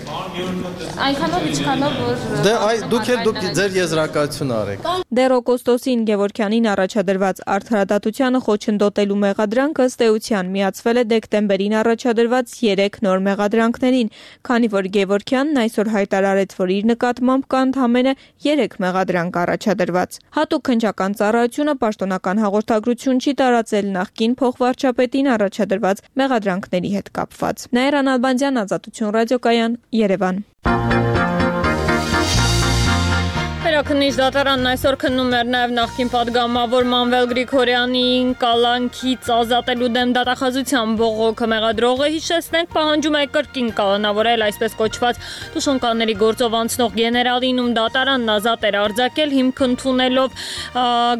Այնքանով ինչքանով որ Դե այ դուք էլ դուք ձեր եզրակացություն արեք։ Դեռ օգոստոսին Գևորգյանին առաջադրված արդարադատությանը խոչընդոտելու մեղադրանքը ըստ էության միացվել է դեկտեմբերին առաջադրված երեք նոր մեղադրանքներին, քանի որ Գևորգյանն այսօր հայտարարեց, որ իր նկատմամբ կա ընդամենը երեք մեղադրանք առաջադրված։ Հատուկ քննչական ծառայությունը պաշտոնական հաղորդագրություն չի տարածել նախկին փոխվարչապետին առաջադրված մեղադրանքների հետ կապված։ Նաիրա Նալբանդյան, Ազատություն ռադիոկայան, Երևան։ Վերաքննիչ դատարանն այսօր քննում էր նաև նախկին падգամավոր Մանվել Գրիգորյանին կալանքից ազատելու դեմ դատախազության բողոքը մեղադրողը հիշեցնենք պահանջում է կրկին կալանավորել այսպես կոչված Տուշոնկանների գործով անցնող գեներալին, ում դատարանն ազատ էր արձակել հիմք ընդունելով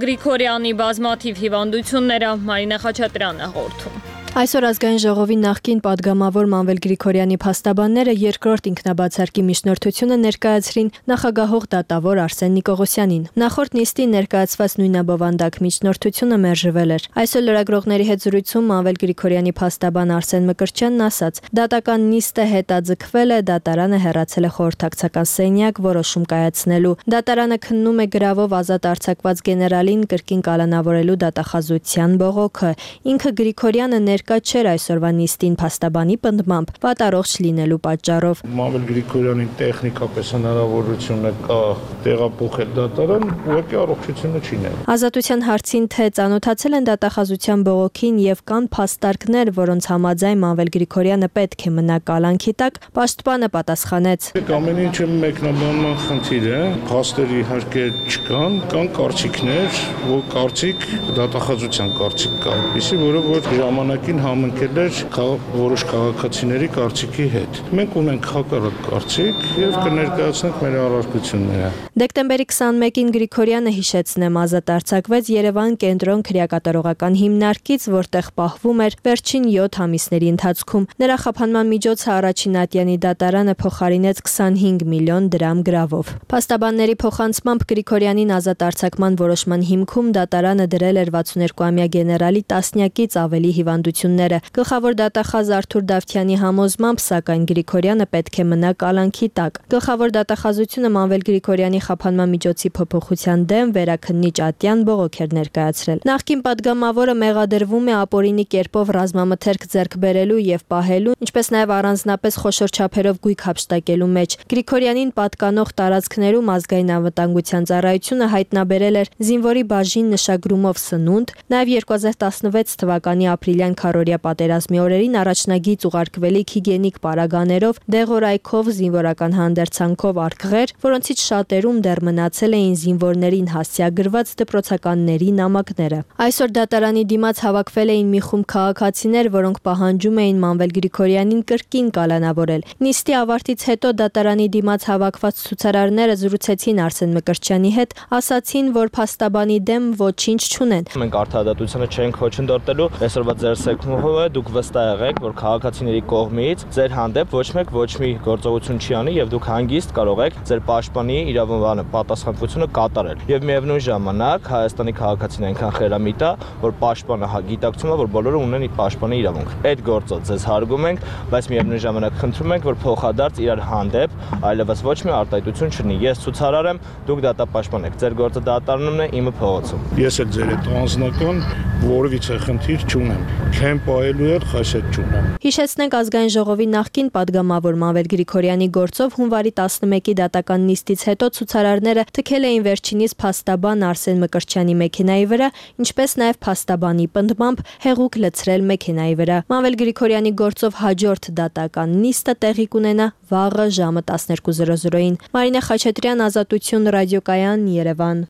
Գրիգորյանի բազմաթիվ հիվանդությունները։ Մարինե Խաչատրյանը հաղորդում։ Այսօր ազգային ժողովի նախկին падգամավոր Մանվել Գրիգորյանի փաստաբանները երկրորդ ինքնաբացարկի միջնորդությունը ներկայացրին նախագահող դատավոր Արսեն Նիկողոսյանին։ Նախորդ նիստին ներկայացված նույնաբովանդակ միջնորդությունը մերժվել էր։ Այսօր լրագրողների հետ զրույցում Մանվել Գրիգորյանի փաստաբան Արսեն Մկրտչյանն ասաց. դատական նիստը հետաձգվել է, դատարանը հեռացել է խորհրդակցական սենյակ որոշում կայացնելու։ Դատարանը քննում է գրավով ազատ արձակված գեներալին կրկին կալանավորելու դատախազության բողոքը։ Ինքը Գրիգորյանը ներկա չէր այսօրվա նիստին փաստաբանի պնդմամբ վատառողջ լինելու պատճառով։ Մամվել Գրիգորյանի տեխնիկապես հնարավորությունը կա տեղափոխել դատարան, ուղղակի առողջությունը չի նել։ Ազատության հարցին թե ծանոթացել են դատախազության բողոքին եւ կան փաստարկներ, որոնց համաձայն Մանվել Գրիգորյանը պետք է մնա կալանքի տակ, պաշտպանը պատասխանեց. Ամեն ինչը մեկնաբանման խնդիր է, փաստեր իհարկե չկան, կան կարծիքներ, որ կարծիք դատախազության կարծիք կա, իսկ որը որ ժամանակին համընկել էր որոշ քաղաքացիների կարծիքի հետ։ Մենք ունենք հակառակ կարծիք եւ կներկայացնենք մեր առարկությունները։ Դեկտեմբերի քսանմեկին Գրիգորյանը հիշեցնեմ ազատ արձակվեց Երևան կենտրոն քրեակատարողական հիմնարկից, որտեղ պահվում էր վերջին յոթ ամիսների ընթացքում։ Նրա խափանման միջոցը առաջին ատյանի դատարանը փոխարինեց քսանհինգ միլիոն դրամ գրավով։ Փաստաբանների փոխանցմամբ Գրիգորյանին ազատ արձակման որոշման հիմքում դատարանը դրել էր վաթսունհերկուամյա գեներալի տասնյակից ավելի հիվանդությունները։ Գլխավոր դատախազ Արթուր Դավթյանի համոզմամբ, սակայն Գրիգորյանը պետք է մնա կալանքի տակ։ Գլխավոր դատախազությունը Մանվել Գրիգորյանի խափանման միջոցի փոփոխության դեմ վերաքննիչ ատյան բողոք էր ներկայացրել։ Նախկին падգամավորը մեղադրվում է ապօրինի կերպով ռազմամթերք ձեռք բերելու եւ պահելու, ինչպես նաեւ առանձնապես խոշոր չափերով գույք հափշտակելու մեջ։ Գրիգորյանին պատկանող տարածքներում ազգային անվտանգության ծառայությունը հայտնաբերել էր զինվորի բաժին նշագրումով սնունդ, նաեւ երկու հազար տասնվեց թվականի ապրիլյան քառօրյա պատերազմի օրերին առաջնագիծ ուղարկվելիք հիգիենիկ պարագաներով, դեղորայքով, զինվորական հանդերձանքով արկղեր, որոնցից շատերում դեռ մնացել էին զինվորներին հասցեագրված դպրոցականների նամակները։ Այսօր դատարանի դիմաց հավաքվել էին մի խումբ քաղաքացիներ, որոնք պահանջում էին Մանվել Գրիգորյանին կրկին կալանավորել։ Նիստի ավարտից հետո դատարանի դիմաց հավաքված ցուցարարները զրուցեցին Արսեն Մկրտչյանի հետ, ասացին, որ փաստաբանի դեմ ոչինչ չունեն։ Մենք արդարադատությունը չենք խոչընդոտելու, այսօրվա ձեր սեկմուհը դուք վստահ եղեք, որ քաղաքացիների կողմից ձեր հանդեպ ոչ մեկ ոչ մի գործողություն չի անի եւ դուք հանգիստ կարող եք ձեր պաշտպանի իրավունքանը պատասխանատվությունը կատարել։ Եվ միևնույն ժամանակ Հայաստանի քաղաքացին այնքան խելամիտ է, որ պաշտպանը գիտակցում է, որ բոլորը ունեն իր պաշտպանի իրավունք։ Այդ գործը ձեզ հարգում ենք, բայց միևնույն ժամանակ խնդրում ենք, որ փոխադարձ իրար հանդեպ այլևս ոչ մի արտահայտություն չլինի։ Ես ցուցարար եմ, դուք դատապաշտպան եք։ Ձեր գործը դատարանումն է, իմը փողոցում։ Ես էլ ձեր հետ անձնական որևիցե խնդիր չունեմ։ Չեմ պահելու էլ խասետ չունեմ։ Հիշեցնենք ազգային ժողովի նախկին падգամավոր Մանվել Գրիգորյանի գործով հունվարի տասնմեկի դատական նիստից հետո ցուցարարները թքել էին վերջինիս փաստաբան Արսեն Մկրտչյանի մեքենայի վրա, ինչպես նաև փաստաբանի պնդմամբ հեղուկ լցրել մեքենայի վրա։ Մանվել Գրիգորյանի գործով հաջորդ դատական նիստը տեղի կունենա վաղը ժամը տասներկու զրո զրոին։ Մարինե Խաչատրյան, Ազատություն, Ռադիոկայան, Երևան։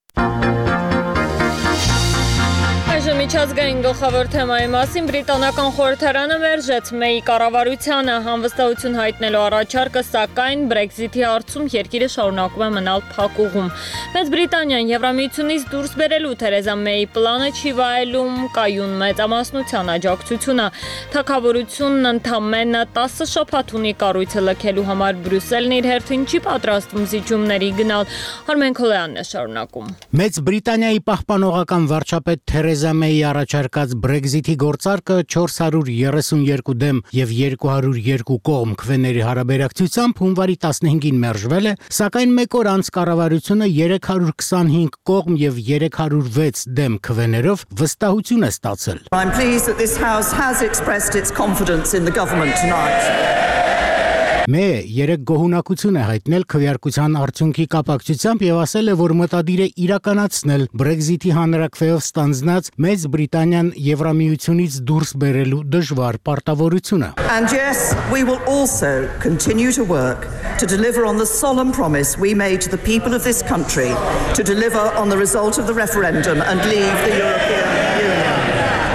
Միջազգային գլխավոր թեմայի մասին բրիտանական խորհրդարանը մերժեց Մեյի կառավարությանը անվստահություն հայտնելու առաջարկը, սակայն Brexit-ի հարցում երկիրը շարունակում է մնալ փակուղում։ Մեծ Բրիտանիան Եվրամիությունից դուրս բերելու Թերեզա Մեյի պլանը չի վայելում կայուն մեծամասնության աջակցությունը։ Թագավորությունն ընդամենը տասը շաբաթ ունի կառույցը լքելու համար, Բրյուսելն իր հերթին չի պատրաստվում զիջումների գնալ։ Արմեն Քոլյանն է շարունակում։ Մեծ Բրիտանիայի պահպանողական վարչապետ Թերեզա Մեյի առաջարկած Brexit-ի գործարկը չորս հարյուր երեսունյոթ դեմ եւ երկու հարյուր երկու կողմ քվեների հարաբերակցությամբ հունվարի տասնհինգին մերժվել է, սակայն մեկ օր անց կառավարությունը երեք հարյուր քսանհինգ կողմ եւ երեք հարյուր վեց դեմ քվեներով վստահություն է ստացել։ I'm pleased that this house has expressed its confidence in the government tonight. Մեյը երեք գոհունակություն է հայտնել քվեարկության արդյունքի կապակցությամբ եւ ասել է, որ մտադիր է իրականացնել Brexit-ի հանրակրվեով ստանձնած Մեծ Բրիտանիան Եվրամիությունից դուրս բերելու դժվար պարտավորությունը։ And yes, we will also continue to work to deliver on the solemn promise we made to the people of this country to deliver on the result of the referendum and leave the European Union.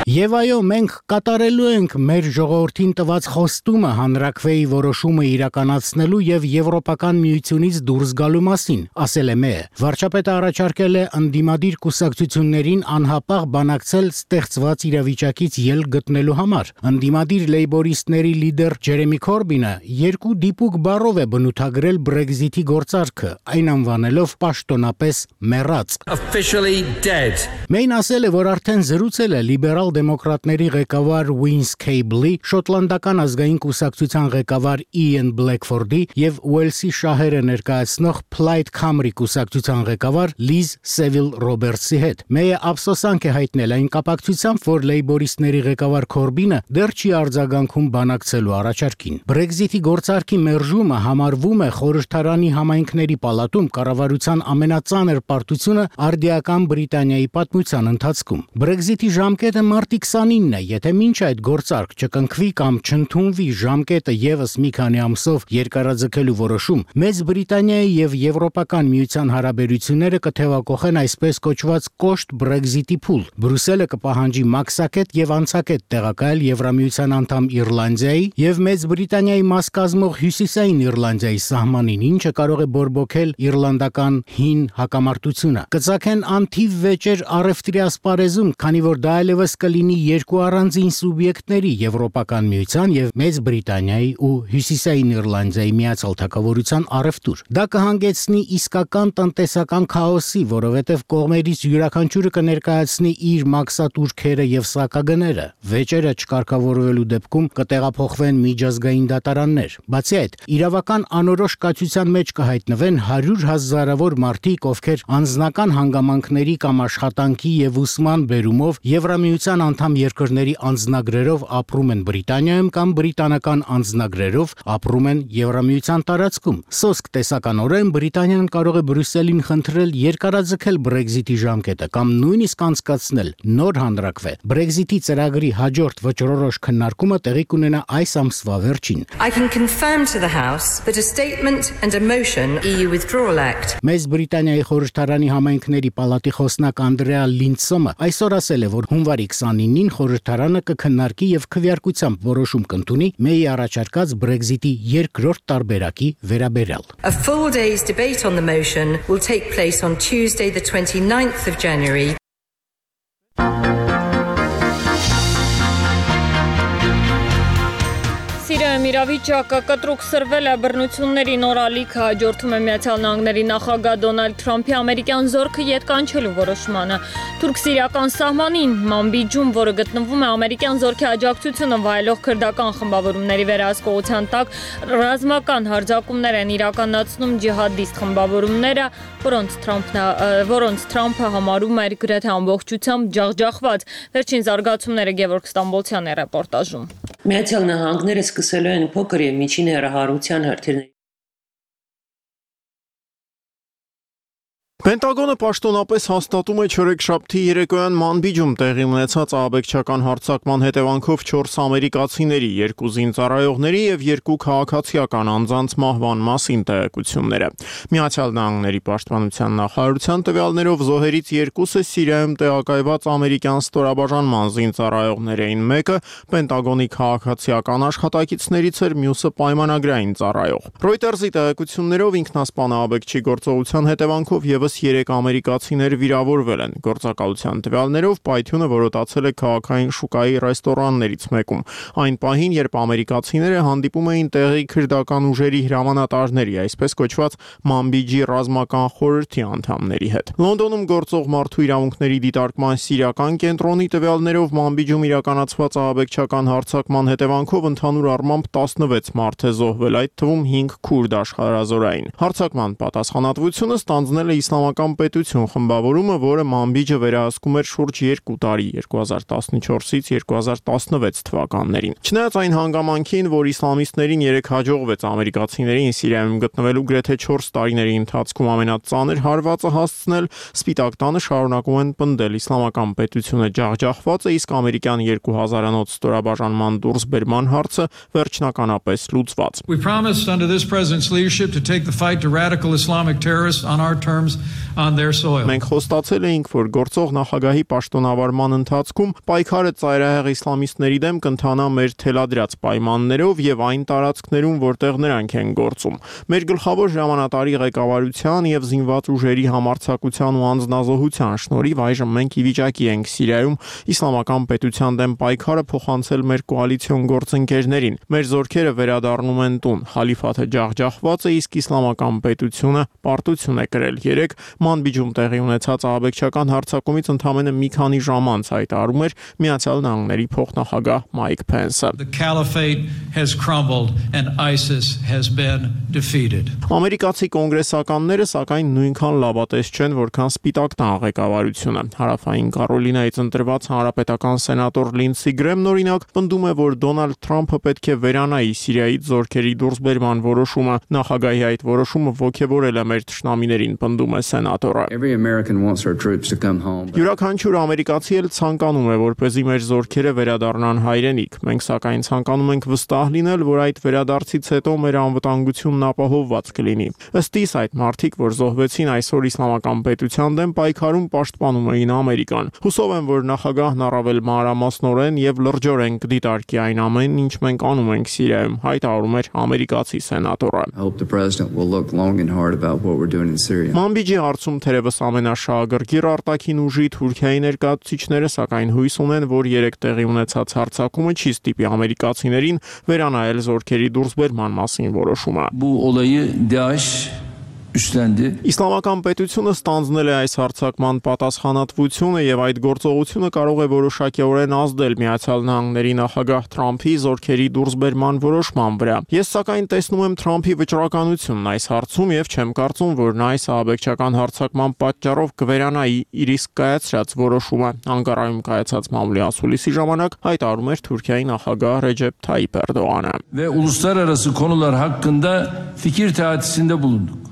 Եվ այո, մենք կատարելու ենք մեր ժողովրդին տված խոստումը հանրակրվեի որոշումը իրականացնելու եւ Եվրոպական միությունից դուրս գալու մասին, ասել է Մեյը։ Վարչապետը առաջարկել է ընդդիմադիր կուսակցություններին անհապաղ բանակցել ստեղծված իրավիճակից ելք գտնելու համար։ Ընդդիմադիր լեյբորիստների լիդեր Ջերեմի Քորբինը երկու դիպուկ բառով է բնութագրել Brexit-ի գործարքը, այն անվանելով պաշտոնապես մեռած։ Officially dead. Մեյն ասել է, որ արդեն զրուցել է լիբերալ դեմոկրատների ղեկավար Wins Cable-ի, շոտլանդական ազգային կուսակցության ղեկավար Ian Blackford-ի եւ Ուելսի շահերը ներկայացնող Plaid Cymru կուսակցության ղեկավար Liz Saville-Roberts-ի հետ։ Մեյը ափսոսանք է հայտնել այն կապակցությամբ, որ լեյբորիստների ղեկավար Քորբինը դեռ չի արձագանքում բանակցելու առաջարկին։ Brexit-ի գործարքի մերժումը համարվում է խորհրդարանի համայնքների պալատում կառավարության ամենածանր պարտությունը արդիական Բրիտանիայի պատմության ընթացքում։ Brexit-ի ժամկետը մարտի քսանինն է, եթե մինչ այդ գործարք չկնքվի կամ չընդունվի ժամկետը եւս մի քանի ամսով երկարաձգելու որոշում, Մեծ Բրիտանիայի եւ Եվրոպական միության հարաբերությունները կթեւակոխեն այսպես կոչված կոշտ Brexit-ի փուլ։ Բրյուսելը կպահանջի մաքսակետ եւ անցակետ տեղակայել Եվրամիության անդամ Իռլանդիայի եւ Մեծ Բրիտանիայի մաս կազմող Հյուսիսային Իռլանդիայի սահմանին, ինչը կարող է բորբոքել իռլանդական հին հակամարտությունը։ Կծակեն անթիվ վեճեր առևտրի ասպարեզում, քանի որ դա այլևս կլինի երկու առանձին սուբյեկտների Եվրոպական միության եւ Մեծ Բրիտանիայի ու Հյուսիսային Իռլանդիայի միացյալ թագավորության առևտուր։ Դա կհանգեցնի իսկական տնտեսական քաոսի, որովհետեւ կողմերից յուրաքանչյուրը կներկայացնի իր մաքսատուրքերը եւ սակագները։ Վեճերը չկարգավորվելու դեպքում կտեղափոխվեն միջազգային դատարաններ։ Բացի այդ, իրավական անորոշ կացության մեջ կհայտնվեն հարյուր հազարավոր մարդիկ, ովքեր անձնական հանգամանքների կամ աշխատանքի եւ ուսման բերումով Եվրամիության անդամ երկրների անձնագրերով ապրում են Բրիտանիայում կամ բրիտանական անձնագրերով ապրում են Եվրամիության տարածքում։ Սոսկ տեսականորեն Բրիտանիան կարող է Բրյուսելին խնդրել երկարաձգել Brexit-ի ժամկետը կամ նույնիսկ անցկացնել նոր հանրակրվե։ Brexit-ի ծրագրի հաջորդ վճռորոշ քննարկումը տեղի կունենա այս ամսվա վերջին։ I can confirm to the House that a statement and a motion E U Withdrawal Act. Մեծ Բրիտանիայի խորհրդարանի համայնքների պալատի խոսնակ Անդրեա Լինցոմը այսօր ասել է, որ հունվարի քսանինին խորհրդարանը կքննարկի եւ քվեարկությամբ որոշում կընդունի Մեյի առաջարկած Brexit-ի երկրորդ տարբերակի վերաբերյալ։ A full day's debate on the motion will take place on Tuesday the twenty-ninth of January. Սիրիայում իրավիճակը կտրուկ սրվել է, բռնությունների նոր ալիքը հաջորդում է Միացյալ Նահանգների նախագահ Դոնալդ Թրամփի ամերիկյան զորքը ետ կանչելու որոշմանը։ Թուրք-սիրիական սահմանին Մամբիջում, որը գտնվում է ամերիկյան զորքի աջակցությունը վայելող քրդական խմբավորումների վերահսկողության տակ, ռազմական հարձակումներ են իրականացնում ջիհադիստ խմբավորումները, որոնց Թրամփն որոնց Թրամփը համարում էր գրեթե ամբողջությամբ ջախջախված։ Վերջին զարգացումները Գևորգ Ստամբոլցյանի ռեպորտաժում։ Միացյալ Նահանգները սկսելու են փոքր եւ միջին հեռահարության հրթիռների Պենտագոնը պաշտոնապես հաստատում է չորեքշաբթի երեկոյան Մանբիջում տեղի ունեցած ահաբեկչական հարձակման հետևանքով չորս ամերիկացիների, երկու զինծառայողների եւ երկու քաղաքացիական անձանց մահվան մասին տեղեկությունները։ Միացյալ Նահանգների պաշտպանության նախարարության տվյալներով զոհերից երկուսը Սիրիայում տեղակայված ամերիկյան ստորաբաժանման զինծառայողներ էին, մեկը Պենտագոնի քաղաքացիական աշխատակիցներից էր, մյուսը պայմանագրային ծառայող։ Reuters-ի տեղեկություններով ինքնասպան ահաբեկչի գործողության հետևանքով եւս երեք ամերիկացիներ վիրավորվել են։ Գործակալության տվյալներով պայթյունը որոտացել է քաղաքային շուկայի ռեստորաններից մեկում։ Այն պահին, երբ ամերիկացիները հանդիպում էին տեղի քրդական ուժերի հրամանատարների, այսպես կոչված Մանբիջի ռազմական խորհրդի անդամների հետ։ Լոնդոնում գործող մարդու իրավունքների դիտարկման սիրիական կենտրոնի տվյալներով Մանբիջում իրականացված ահաբեկչական հարձակման հետևանքով ընդհանուր առմամբ տասնվեց մարդ է զոհվել, այդ թվում հինգ քուրդ աշխարհազորային։ Հարձակման պատասխանատվությունը ստանձնել է Իսլամական պետություն խմբավորումը, որը Մանբիջը վերահսկում էր շուրջ երկու տարի երկու հազար տասնչորսից երկու հազար տասնվեց թվականներին։ Չնայած այն հանգամանքին, որ իսլամիստներին երեք հաջողվեց ամերիկացիներին Սիրիայում գտնվելու գրեթե չորս տարիների ընթացքում ամենածանր հարվածը հասցնել, Սպիտակ տանը շարունակում են պնդել իսլամական պետությունը ջախջախված է, իսկ ամերիկյան երկու հազարանոց ստորաբաժանման դուրսբերման հարցը վերջնականապես լուծված։ We promised under this president's leadership to take the fight to radical Islamic terrorists on our terms on their soil. Մենք խոստացել էինք, որ գործող նախագահի պաշտոնավարման ընթացքում պայքարը ծայրահեղ իսլամիստների դեմ կընթանա մեր թելադրած պայմաններով եւ այն տարածքներում, որտեղ նրանք են գործում։ Մեր գլխավոր հրամանատարի ղեկավարության եւ զինված ուժերի համարձակության ու անձնազոհության շնորհիվ այժմ մենք ի վիճակի ենք Սիրիայում իսլամական պետության դեմ պայքարը փոխանցել մեր կոալիցիոն գործընկերներին։ Մեր զորքերը վերադառնում են տուն։ Խալիֆաթը ջախջախված է, իսկ իսլամական պետությունը պարտություն է կրել։ Երեք Մանբիջում տեղի ունեցած ահաբեկչական հարձակումից ընդամենը մի քանի ժամ անց հայտարարում էր Միացյալ Նահանգների փոխնախագահ Մայք Փենսը. The caliphate has crumbled and ISIS has been defeated. Ամերիկացի կոնգրեսականները սակայն նույնքան լավատես չեն, որքան Սպիտակ տան ղեկավարությունը։ Հարավային Կարոլինայից ընտրված հանրապետական սենատոր Լինսի Գրեմն օրինակ պնդում է, որ Դոնալդ Թրամփը պետք է վերանայի Սիրիայից զորքերի դուրսբերման որոշումը։ Նախագահի այդ որոշումը ոգևորել է մեր թշնամիներին, պնդում է սենատորը։ Յուրաքանչյուր ամերիկացի էլ ցանկանում է, որպեսզի մեր զորքերը վերադառնան հայրենիք։ Մենք սակայն ցանկանում ենք վստահ լինել, որ այդ վերադարձից հետո մեր անվտանգությունն ապահովված կլինի։ Ըստ իս այդ մարդիկ, որ զոհվեցին այսօր իսլամական պետության դեմ պայքարում, պաշտպանում էին Ամերիկան։ Հուսով եմ, որ նախագահն առավել մանրամասնորեն եւ լրջորեն կդիտարկի այն ամենն, ինչ մենք անում ենք Սիրիայում, հայտարարում էր ամերիկացի սենատորը։ Մանբիջի հարցում թերևս ամենաշահագրգիռ արտաքին ուժի Թուրքիայի ներկայացուցիչները սակայն հույս ունեն, որ երեք տեղի ունեցած հարձակումը չի ստիպի ամերիկացիներին վերանայել զորքերի դուրսբերման մասին որոշումը։ Իսլամական պետությունը ստանձնել է այս հարձակման պատասխանատվությունը եւ այդ գործողությունը կարող է որոշակիորեն ազդել Միացյալ Նահանգների նախագահ Թրամփի զորքերի դուրսբերման որոշման վրա։ Ես սակայն տեսնում եմ Թրամփի վճռականությունն այս հարցում եւ չեմ կարծում, որ նա այս ահաբեկչական հարձակման պատճառով կվերանայի իր իսկ կայացրած որոշումը։ Անկարայում կայացած մամուլի ասուլիսի ժամանակ հայտարարում էր Թուրքիայի նախագահ Ռեջեփ Թայիփ Էրդողանը։ Ve uluslararası konular hakkında fikir teatisinde bulunduk.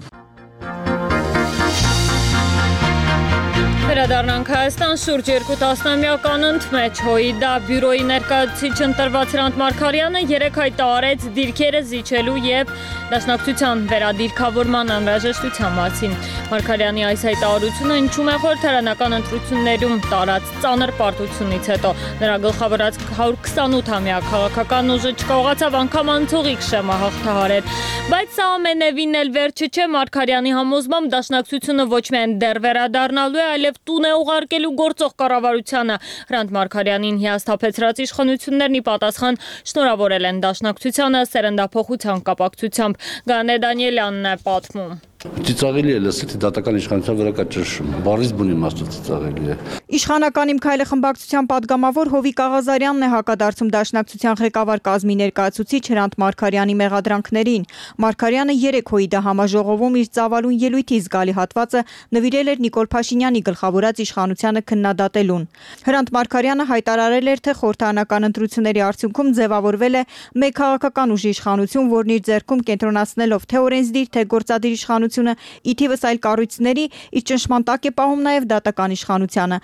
Վերադառնանք Հայաստան շուրջ երկու տասնամյական ընդմեջ ՀՅԴ բյուրոյի ներկայացուցիչ ընտրված Հրանտ Մարգարյանը երեկ հայտարարեց դիրքերը զիջելու եւ դաշնակցության վերադիրքավորման անհրաժեշտության մասին։ Մարգարյանի այս հայտարարությունը հնչում է խորհրդարանական ընտրություններում տարած ծանր պարտությունից հետո։ Նրա գլխավորած հարյուր քսանութամյա քաղաքական ուժը չկարողացավ անգամ անցողիկ շեմա հաղթահարել։ Բայց սա ամենևին էլ վերջը չէ։ Մարգարյանի համոզմամբ դաշնակցությունը ոչ միայն դեռ վերադառնալու է, այլև տուն է ուղարկելու գործող կառավարությանը։ Հրանտ Մարգարյանին հիասթափեցրած իշխանություններն ի պատասխան շնորհավորել են դաշնակցությանը սերնդափոխության կապակցությամբ։ Գանե Դանիելյանն է պատմում։ Ծիծաղելի է լսել, թե դատական իշխանության վրա կա ճնշում։ Բառից բուն իմաստով ծիծաղելի է։ Իշխանական իմ քայլը խմբակցության падգամավոր Հովիկ Աղազարյանն է հակադարձում դաշնակցության ղեկավար կազմի ներկայացուցիչ Հրանտ Մարգարյանի մեղադրանքներին։ Մարգարյանը երեկ ՀՅԴ համաժողովում իր ծավալուն ելույթի զգալի հատվածը նվիրել էր Նիկոլ Փաշինյանի գլխավորած իշխանությանը քննադատելուն։ Հրանտ Մարգարյանը հայտարարել էր, թե խորհրդարանական ընտրությունների արդյունքում ձևավորվել է մեկ քաղաքական ուժի իշխանություն, որն իր ձեռքում կենտրոնացնելով թե օրենսդիր, թե գործադիր իշխանությունը ի թիվս այլ կառույցների իր ճնշման տակ է պահում նաև դատական իշխանությանը։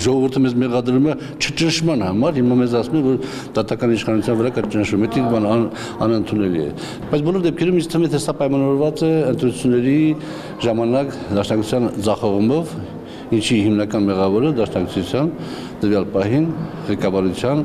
Ժողովուրդը մեզ մեղադրում է չճնշման համար, հիմա մեզ ասում է, որ դատական իշխանության վրա կա ճնշում, դա բան անընդունելի է։ Բայց բոլոր դեպքերում ինձ թվում է, թե սա պայմանավորված է ընտրությունների ժամանակ դաշնակցության ձախողումով, ինչի հիմնական մեղավորը դաշնակցության տվյալ պահին ղեկավարության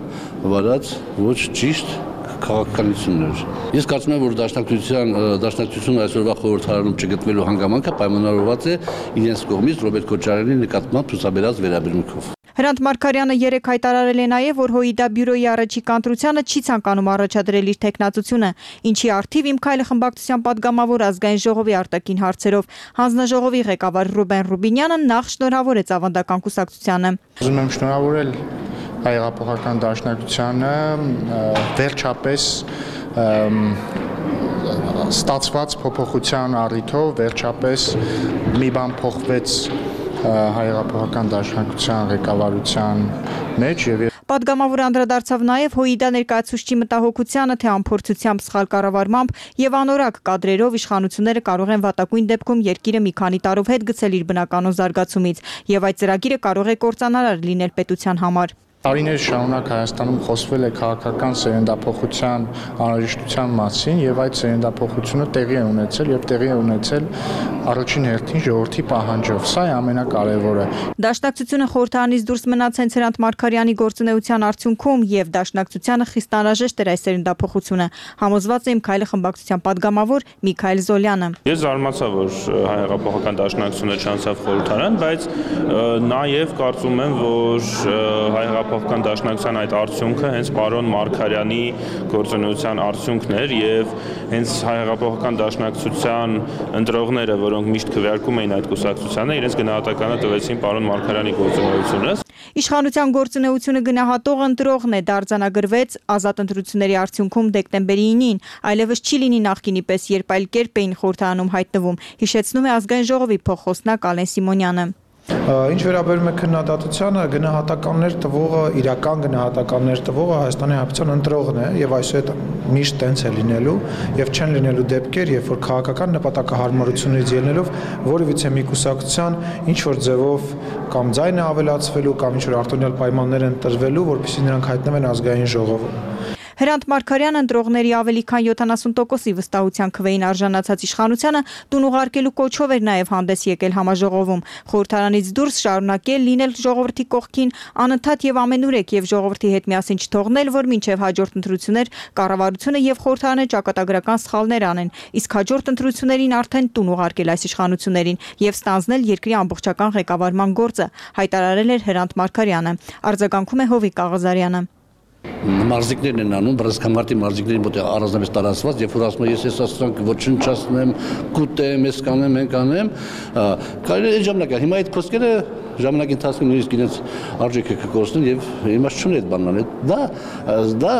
վարած ոչ ճիշտ քաղաքականություններ։ Ես կարծում եմ, որ դաշնակցության դաշնակցությունը այսօրվա խորհրդարանում չգտնվելու հանգամանքը պայմանավորված է իրենց կողմից Ռոբերտ Քոչարյանի նկատմամբ ցուցաբերած վերաբերմունքով։ Հրանտ Մարգարյանը երեկ հայտարարել է նաև, որ ՀՅԴ բյուրոյի առաջիկ ընտրությանը չի ցանկանում առաջադրել իր տեխնացությունը, ինչի առթիվ իմ քայլը խմբակցության падգամավոր ազգային ժողովի արտաքին հարցերով հանձնաժողովի ղեկավար Ռուբեն Ռուբինյանը նախ շնորհավորեց ավանդական կուսակցությանը։ Ուզում եմ շնորհավորել հայ-հեղափոխական դաշնակցությանը վերջապես ստացված փոփոխության առիթով վերջապես մի բան փոխվեց հայ-հեղափոխական դաշնակցության ղեկավարության մեջ եւ Պատգամավորը անդրադարձավ նաև ՀՅԴ ներկայացուցչի մտահոգությանը, թե անփորձությամբ սխալ կառավարմամբ եւ անորակ կադրերով իշխանությունները կարող են վատակույն դեպքում երկիրը մի քանի տարով հետ գցել իր բնականոն զարգացումից եւ այդ ծրագիրը կարող է կործանարար լինել պետության համար։ Տարիներ շարունակ Հայաստանում խոսվել է քաղաքական սերնդափոխության անհրաժեշտության մասին եւ այդ սերնդափոխությունը տեղի է ունեցել եւ տեղի է ունեցել առաջին հերթին ժողովրդի պահանջով։ Սա է ամենակարևորը։ Դաշնակցությունը խորհրդարանից դուրս մնաց հենց Հրանտ Մարգարյանի գործունեության արդյունքում եւ դաշնակցությանը խիստ անհրաժեշտ էր այս սերնդափոխությունը։ Համոզված է իմ քայլը խմբակցության падգամավոր Միքայել Զոլյանը։ Ես զարմացա, որ հայ-հեղափոխական դաշնակցությունը չանցավ խորհրդարան, բայց նաեւ կարծում եմ, որ հայ հեղափոխական դաշնակցության այդ արդյունքը հենց պարոն Մարգարյանի գործունեության արդյունքն էր եւ հենց հեղափոխական դաշնակցության ընտրողները, որոնք միշտ քվեարկում էին այդ կուսակցությանը, իրենց գնահատականը տվեցին պարոն Մարգարյանի գործունեությունը։ Իշխանության գործունեությունը գնահատող ընտրողն է, դարձանագրվեց ազատ ընտրությունների արդյունքում դեկտեմբերի ինին, այլևս չի լինի նախկինի պես, երբ այլ կերպ էին խորհրդարանում հայտնվում, հիշեցնում է Ազգային ժողովի փոխխոսնակ Ալեն Սիմոնյանը։ Ինչ վերաբերում է քննադատությանը, գնահատականներ տվողը, իրական գնահատականներ տվողը Հայաստանի Հանրապետության ընտրողն է եւ այսուհետ միշտ տենց է լինելու եւ չեն լինելու դեպքեր, երբ որ քաղաքական նպատակահարմարություններից ելնելով որևիցե մի կուսակցության ինչ որ ձևով կամ ձայնը ավելացվելու կամ ինչ որ արտոնյալ պայմաններ են տրվելու, որպեսզի նրանք հայտնվեն ազգային ժողովում։ Հրանտ Մարգարյանը ընտրողների ավելի քան յոթանասուն տոկոսի վստահության քվեին արժանացած իշխանությանը տուն ուղարկելու կոչով էր նաև հանդես եկել համաժողովում։ Խորհրդարանից դուրս շարունակել լինել ժողովրդի կողքին, անընդհատ եւ ամենուրեք եւ ժողովրդի հետ միասին չթողնել, որ մինչեւ հաջորդ ընտրություններ կառավարությունը եւ խորհրդարանը ճակատագրական սխալներ անեն, իսկ հաջորդ ընտրություններին արդեն տուն ուղարկել այս իշխանություններին եւ ստանձնել երկրի ամբողջական ղեկավարման գործը, հայտարարել էր Հրանտ Մարգարյանը։ Արձագանքում է Հովիկ Աղազարյանը։ Մարզիկներն են անում, բռնցքամարտի մարզիկներին մոտ առանձնապես տարածված, երբ որ ասում են ես ես ասրանք ոչնչացնեմ, կուտեմ, ես կանեմ, մենք անեմ, կարելի է ժամանակը։ Հիմա այդ խոսքերը ժամանակի ընթացքում նույնիսկ իրենց արժեքը կկորցնեն եւ իմաստ չունի այդ բանն։ Դա դա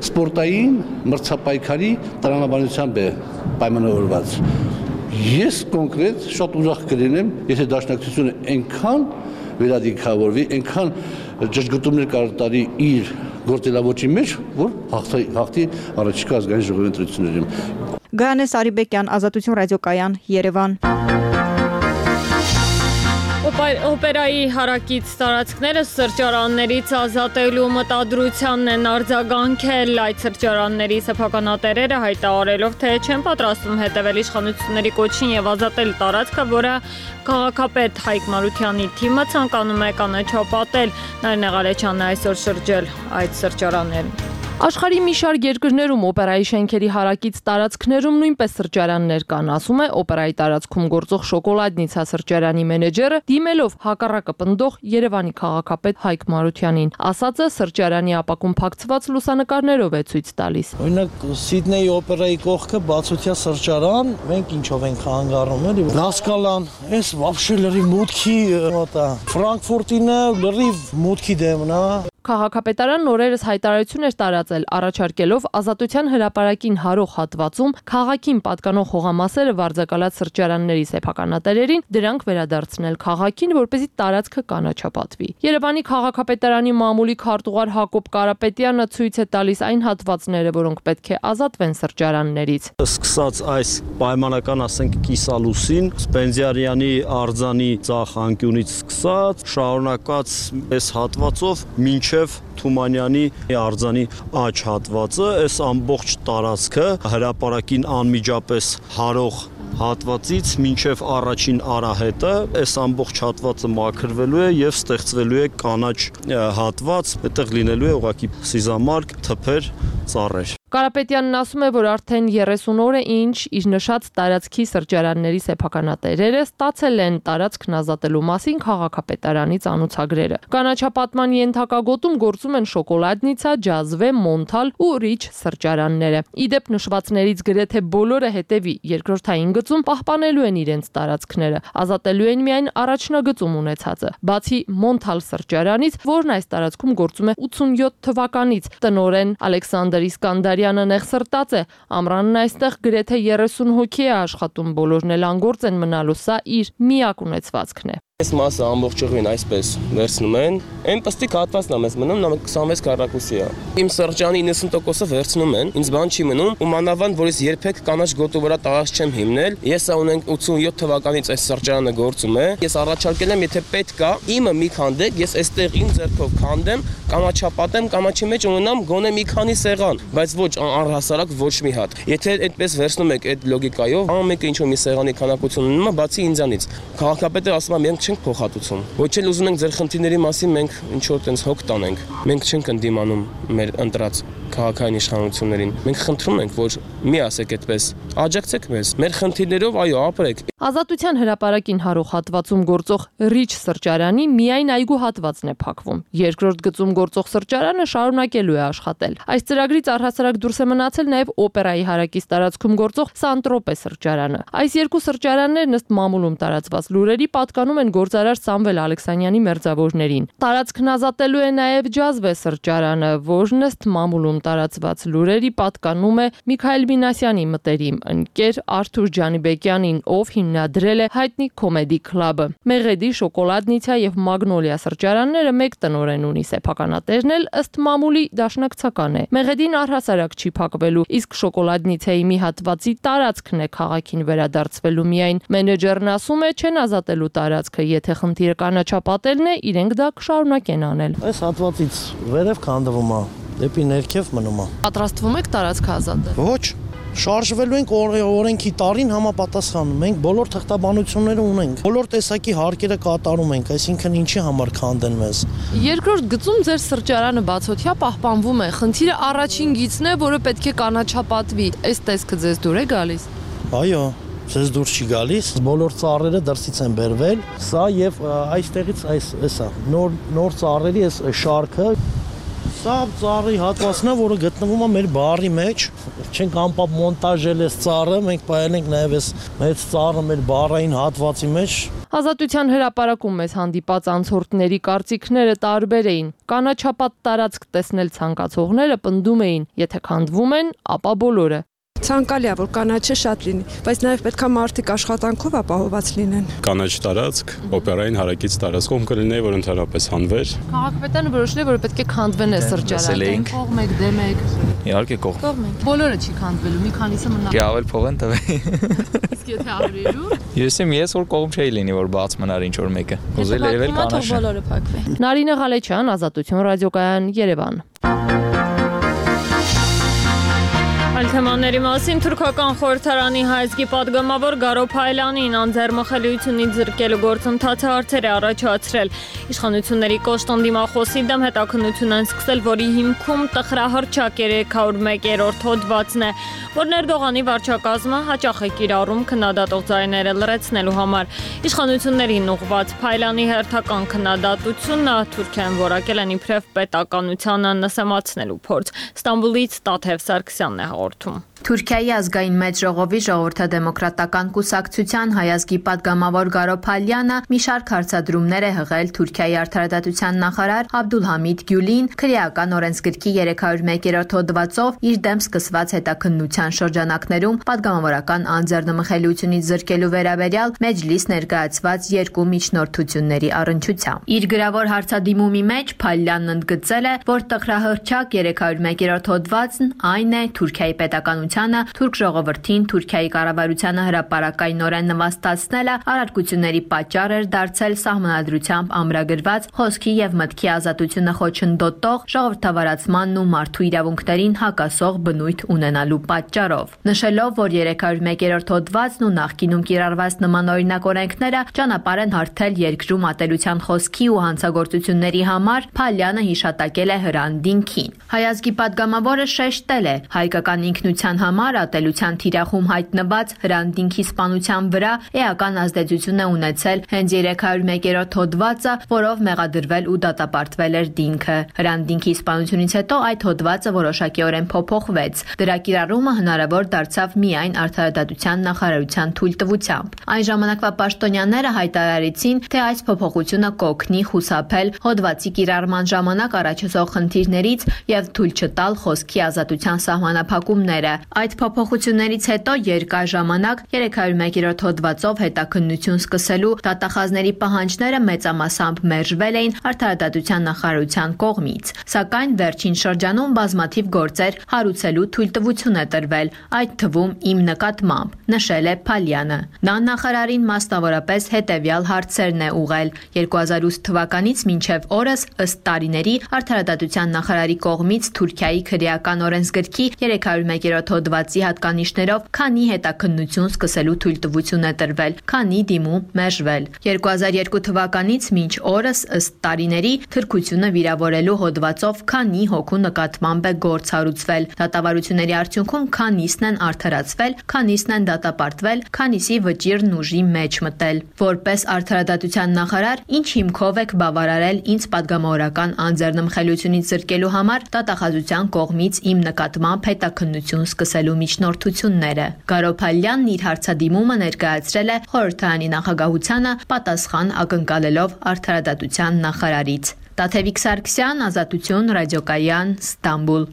սպորտային մրցապայքարի տրամաբանությամբ է պայմանավորված։ Ես կոնկրետ շատ ուրախ կլինեմ, եթե դաշնակցությունը այնքան վերադիքավորվի, այնքան ճշգրտումներ կատարի իր գործելավոճի մեջ, որ հաղթի առաջիկա ազգային ժողովի ընտրություններին։ Գայանե Սարիբեկյան, Ազատություն ռադիոկայան, Երևան։ Օպերայի հարակից տարածքները սրճարաններից ազատելու մտադրությանն են արձագանքել այդ սրճարանների սեփականատերերը հայտարարելով, թե չեն պատրաստվում հետևել իշխանությունների կոչին եւ ազատել տարածքը, որը քաղաքապետ Հայկ Մարությանի թիմը ցանկանում է կանաչապատել։ Նարինե Ղալեչյանն այսօր շրջել այդ սրճարաններն։ Աշխարհի մի շարք երկրներում օպերայի շենքերի հարակից տարածքներում նույնպես սրճարաններ կան, ասում է օպերայի տարածքում գործող շոկոլադնիցա սրճարանի մենեջերը, դիմելով հակառակը պնդող Երևանի քաղաքապետ Հայկ Մարությանին։ Ասածը սրճարանի ապակում փակցված լուսանկարներով է ցույց տալիս։ Օրինակ Սիդնեյի օպերայի կողքը բացօթյա սրճարան, մենք ինչով ենք հանգարում, էլի։ Լասկալան, այս вообще լրիվ մուտքի մոտա։ Ֆրանկֆուրտինը լրիվ մուտքի դեմն է։ Քաղաքապետարանն օրերս հայտարարություն էր տարածել, առաջարկելով Ազատության հրապարակին հարող հատվածում քաղաքին պատկանող հողամասերը վարձակալած սրճարանների սեփականատերերին դրանք վերադարձնել քաղաքին, որպեսզի տարածքը կանաչապատվի։ Երևանի քաղաքապետարանի մամուլի քարտուղար Հակոբ Կարապետյանը ցույց է տալիս այն հատվածները, որոնք պետք է ազատվեն սրճարաններից։ Սկսած այս պայմանական, ասենք, կիսալուսին, Սպենդիարյանի արձանի ցախ անկյունից սկսած, շարունակած այս հատվածով մինչ Թումանյանի արձանի աջ հատվածը, այս ամբողջ տարածքը հրապարակին անմիջապես հարող հատվածից մինչև առաջին արահետը, այս ամբողջ հատվածը մաքրվելու է եւ ստեղծվելու է կանաչ հատված, այդտեղ լինելու է ուղղակի սիզամարգ, թփեր, ծառեր։ Կարապետյանն ասում է, որ արդեն երեսուն օր է ինչ իր նշած տարածքի սրճարանների սեփականատերերը ստացել են տարածքն ազատելու մասին քաղաքապետարանի ծանուցագրերը։ Կանաչապատման ենթակագոտում գործում են շոկոլադնիցա, ջազվե, մոնթալ ու ռիչ սրճարանները։ Իդեպ նշվածներից գրեթե բոլորը հետևի երկրորդային գծում պահպանելու են իրենց տարածքները, ազատելու են միայն առաջնագծում ունեցածը։ Բացի մոնթալ սրճարանից, որն այս տարածքում գործում է ութսունյոթ թվականից, տնօրեն Ալեքսանդր Իսկանդարյանը նեղսրտած է, ամռանն այստեղ գրեթե երեսուն հոգի է աշխատում, բոլորն էլ անգործ են մնալու, սա իր միակ ունեցվածքն է։ Այս մասը ամբողջովին այսպես վերցնում են, այն պստիկ հատվածն է մեզ մնում, նա քսանվեց քառակուսի է։ Իմ սրճարանի իննսուն տոկոսը վերցնում են, ինձ բան չի մնում, ու մանավանդ որ ես երբեք կանաչ գոտու վրա տարած չեմ հիմնել, ես ունենք ութսունյոթ թվականից այս սրճարանը գործում է, ես առաջարկել եմ, եթե պետք է, իմը մի քանդեք, ես այստեղ իմ ձեռքով քանդեմ, կանաչապատեմ, կանաչի մեջ ունենամ գոնե մի քանի սեղան, բայց ոչ առհասարակ ոչ մի հատ։ Եթե այդպես վերցնում եք այդ լոգիկայով, ամեն մեկը ինչ որ մի սեղանի քանակություն ունենա, բացի ինձանից։ Քաղաքապետը ասում է, մենք չենք փոխհատուցում։ Ոչ էլ ուզում ենք ձեր խնդիրների մասին մենք ինչ որ տենց հոգ տանենք։ Մենք չենք ընդդիմանում մեր ընտրած քաղաքային իշխանություններին։ Մենք խնդրում ենք, որ մի ասեք այդպես, աջակցեք մեզ, մեր խնդիրներով այո, ապրեք։ Ազատության հրապարակին հարող հատվածում գործող Ռիչ սրճարանի միայն այգու հատվածն է փակվում։ Երկրորդ գծում գործող սրճարանը շարունակելու է աշխատել։ Այս ծրագրից առհասարակ դուրս է մնացել նաև օպերայի հարակից տարածքում գործող Սանտրոպե սրճարանը։ Այս երկու սրճարաններն ըստ մամուլում տարածված լուրերի պատկանում են գործարար Սամվել Ալեքսանյանի մերձավորներին։ Տարածքն ազատելու է նաև Ջազվե սրճարանը, որն ըստ մամուլում տարածված լուրերի պատկանում է Միքայել Մինասյանի մտերիմ ընկեր Արթուր Ջանիբեկյանին, ով հիմնադրել է հայտնի Comedy Club-ը։ Մեղեդի, Շոկոլադնիցիա եւ Մագնոլիա սրճարանները մեկ տնօրեն ունի, սեփականատերն էլ ըստ մամուլի դաշնակցական է։ Մեղեդին առհասարակ չի փակվելու, իսկ Շոկոլադնիցիայի մի հատվածի տարածքն է քաղաքին վերադարձվելու միայն։ Մենեջերն ասում է, չեն ազատելու տարածքը, եթե խնդիրը կանաչապատելն է, իրենք դա կշարունակեն անել։ Այս հատվածից վերև քանդվում է, դեպի ներքև մնում է։ Պատրաստվում եք տարածքը ազատել։ Ոչ, շարժվելու ենք օրենքի տարին համապատասխան։ Մենք բոլոր թղթաբանությունները ունենք, բոլոր տեսակի հարկերը կատարում ենք, այսինքն ինչի համար քանդեն մեզ։ Երկրորդ գծում ձեր սրճարանը բացօթյա պահպանվում է։ Խնդիրը առաջին գիծն է, որը պետք է կանաչապատվի։ Այս տեսքը ձեզ դուր է գալիս։ Այո, ձեզ դուրս չի գալիս, բոլոր ծառերը դրսից են բերվել։ Սա եւ այստեղից այս էսա նոր նոր ծառերի այս շարքը Սա ծառի հատվածն է, որը գտնվում է մեր բարի մեջ։ Չենք անպապ մոնտաժել այս ծառը, մենք պահել ենք նաև այս մեծ ծառը մեր բարային հատվածի մեջ։ Ազատության հրապարակում մեզ հանդիպած անցորդների կարծիքները տարբեր էին։ Կանաչապատ տարածք տեսնել ցանկացողները պնդում էին, եթե քանդվում են, ապա բոլորը։ Ցանկալի է, որ կանաչը շատ լինի, բայց նաև պետքա մարդիկ աշխատանքով ապահովված լինեն։ Կանաչ տարածք, օպերային հարակից տարածքում կլինի, որ ընդհանրապես հանվեր։ Քաղաքապետարանը որոշել է, որ պետք է քանդվեն այս սրճարանը։ Կողմ եք, դեմ եք։ Իհարկե կողմ։ Բոլորը չի քանդվելու, մի քանիսը մնա։ Չի ավել փող են տվել։ Իսկ եթե ավրելու։ Ես եմ ես որ կողմ չէի լինի, որ բաց մնար ինչ որ մեկը։ Ուզել երևել կանաչ։ Բոլորը փակվեն։ Նարինե Ղալեչյան, Ազատություն ռադիոկայան, Երևան։ Այլ թեմաների մասին թուրքական խորհրդարանի հայազգի պատգամավոր Գարո Փայլյանին անձեռմխելիությունից զրկելու գործընթացը հարցեր է առաջացրել։ Իշխանությունների կոշտ դիմախոսի դեմ հետաքննություն են սկսել, որի հիմքում տխրահռչակ երեք հարյուր մեկերորդ հոդվածն է, որ Էրդողանի վարչակազմը հաճախ է կիրառում քննադատող ձայները լրացնելու համար։ Իշխանություններին ուղղված Փայլյանի հերթական քննադատությունը Թուրքիան որակել են իբրև պետականությանը նսեմացնելու փորձ։ Ստամբուլից Տաթև Սարգսյանն է հաղորդում։ Թուրքիայի ազգային մեծ ժողովի ժողովրդադեմոկրատական կուսակցության հայազգի պատգամավոր Գարո Փայլյանը մի շարք հարցադրումներ է հղել Թուրքիայի արդարադատության նախարար Աբդուլհամիդ Գյուլին քրեական օրենսգրքի երեք հարյուր մեկերորդ հոդվածով իր դեմ սկսված հետաքննության շրջանակներում պատգամավորական անձեռնմխելիությունից զրկելու վերաբերյալ մեջլիս ներկայացված երկու միջնորդությունների առնչությամբ։ Իր գրավոր հարցադիմումի մեջ Փայլյանն ընդգծել է, որ տխրահռչակ երեք հարյուր մեկերորդ հոդվածն այն է Թուրքիայի պետականության թուրք ժողովրդին Թուրքիայի կառավարությանը հրապարակայնորեն նվաստացնելը արարքությունների պատճառ էր դարձել սահմանադրությամբ ամրագրված խոսքի եւ մտքի ազատությունը խոչընդոտող ժողովրդավարացմանն ու մարդու իրավունքներին հակասող բնույթ ունենալու պատճառով։ Նշելով, որ երեք հարյուր մեկերորդ հոդվածն ու նախկինում կիրառված նմանօրինակ օրենքները ճանապարհ են հարթել երկրում ատելության խոսքի ու հանցագործությունների համար, Փայլյանը հիշատակել է հրանդինքին։ Հայազգի պատգամավորը շեշտել է, հայկական ինքնության համար ատելության թիրախում հայտնված հրանդինքի սպանության վրա էական ազդեցություն է ունեցել հենց երեք հարյուր մեկերորդ հոդվածը, որով մեղադրվել ու դատապարտվել էր դինքը։ Հրանդինքի սպանությունից հետո այդ հոդվածը որոշակիորեն փոփոխվեց։ Դրա կիրառումը հնարավոր դարձավ միայն արդարադատության նախարարության թույլտվությամբ։ Այն ժամանակվա պաշտոնյաները հայտարարեցին, թե այս փոփոխությունը կօգնի խուսափել հոդվածի կիրառման ժամանակ առաջացող խնդիրներից եւ թույլ չտալ խոսքի ազատության սահմանափակումները։ Այդ փոփոխություններից հետո երկար ժամանակ երեք հարյուր մեկերորդ հոդվածով հետաքննություն սկսելու դատախազների պահանջները մեծամասամբ մերժվել էին արդարադատության նախարարության կողմից, սակայն վերջին շրջանում բազմաթիվ գործեր հարուցելու թույլտվություն է տրվել, այդ թվում իմ նկատմամբ, նշել է Փայլյանը։ Նա նախարարին մասնավորապես հետևյալ հարցերն է ուղղել. երկու հազար ութ թվականից մինչև օրս ըստ տարիների արդարադատության նախարարի կողմից Թուրքիայի քրեական օրենսգրքի երեք հարյուր տասնմեկերորդ հոդվածի հատկանիշներով քանի հետաքննություն սկսելու թույլտվություն է տրվել, քանի դիմում մերժվել։ երկու հազար երկու թվականից մինչ օրս ըստ տարիների թրքությունը վիրավորելու հոդվածով քանի հոգու նկատմամբ է գործ հարուցվել։ Դատավարությունների արդյունքում քանիսն են արդարացվել, քանիսն են դատապարտվել, քանիսի վճիրն ուժի մեջ մտել։ Որպես արդարադատության նախարար, ինչ հիմքով եք բավարարել ինձ պատգամավորական անձեռնմխելիությունից զրկելու համար դատախազության կողմից իմ նկատմամբ հետաքննություն սկսելու միջնորդությունները։ Գարոփալյանն իր հարցադիմումը ներկայացրել է խորհրդարանի նախագահությանը պատասխան ակնկալելով արդարադատության նախարարից։ Տաթևիկ Սարգսյան, Ազատություն, Ռադիոկայան, Ստամբուլ։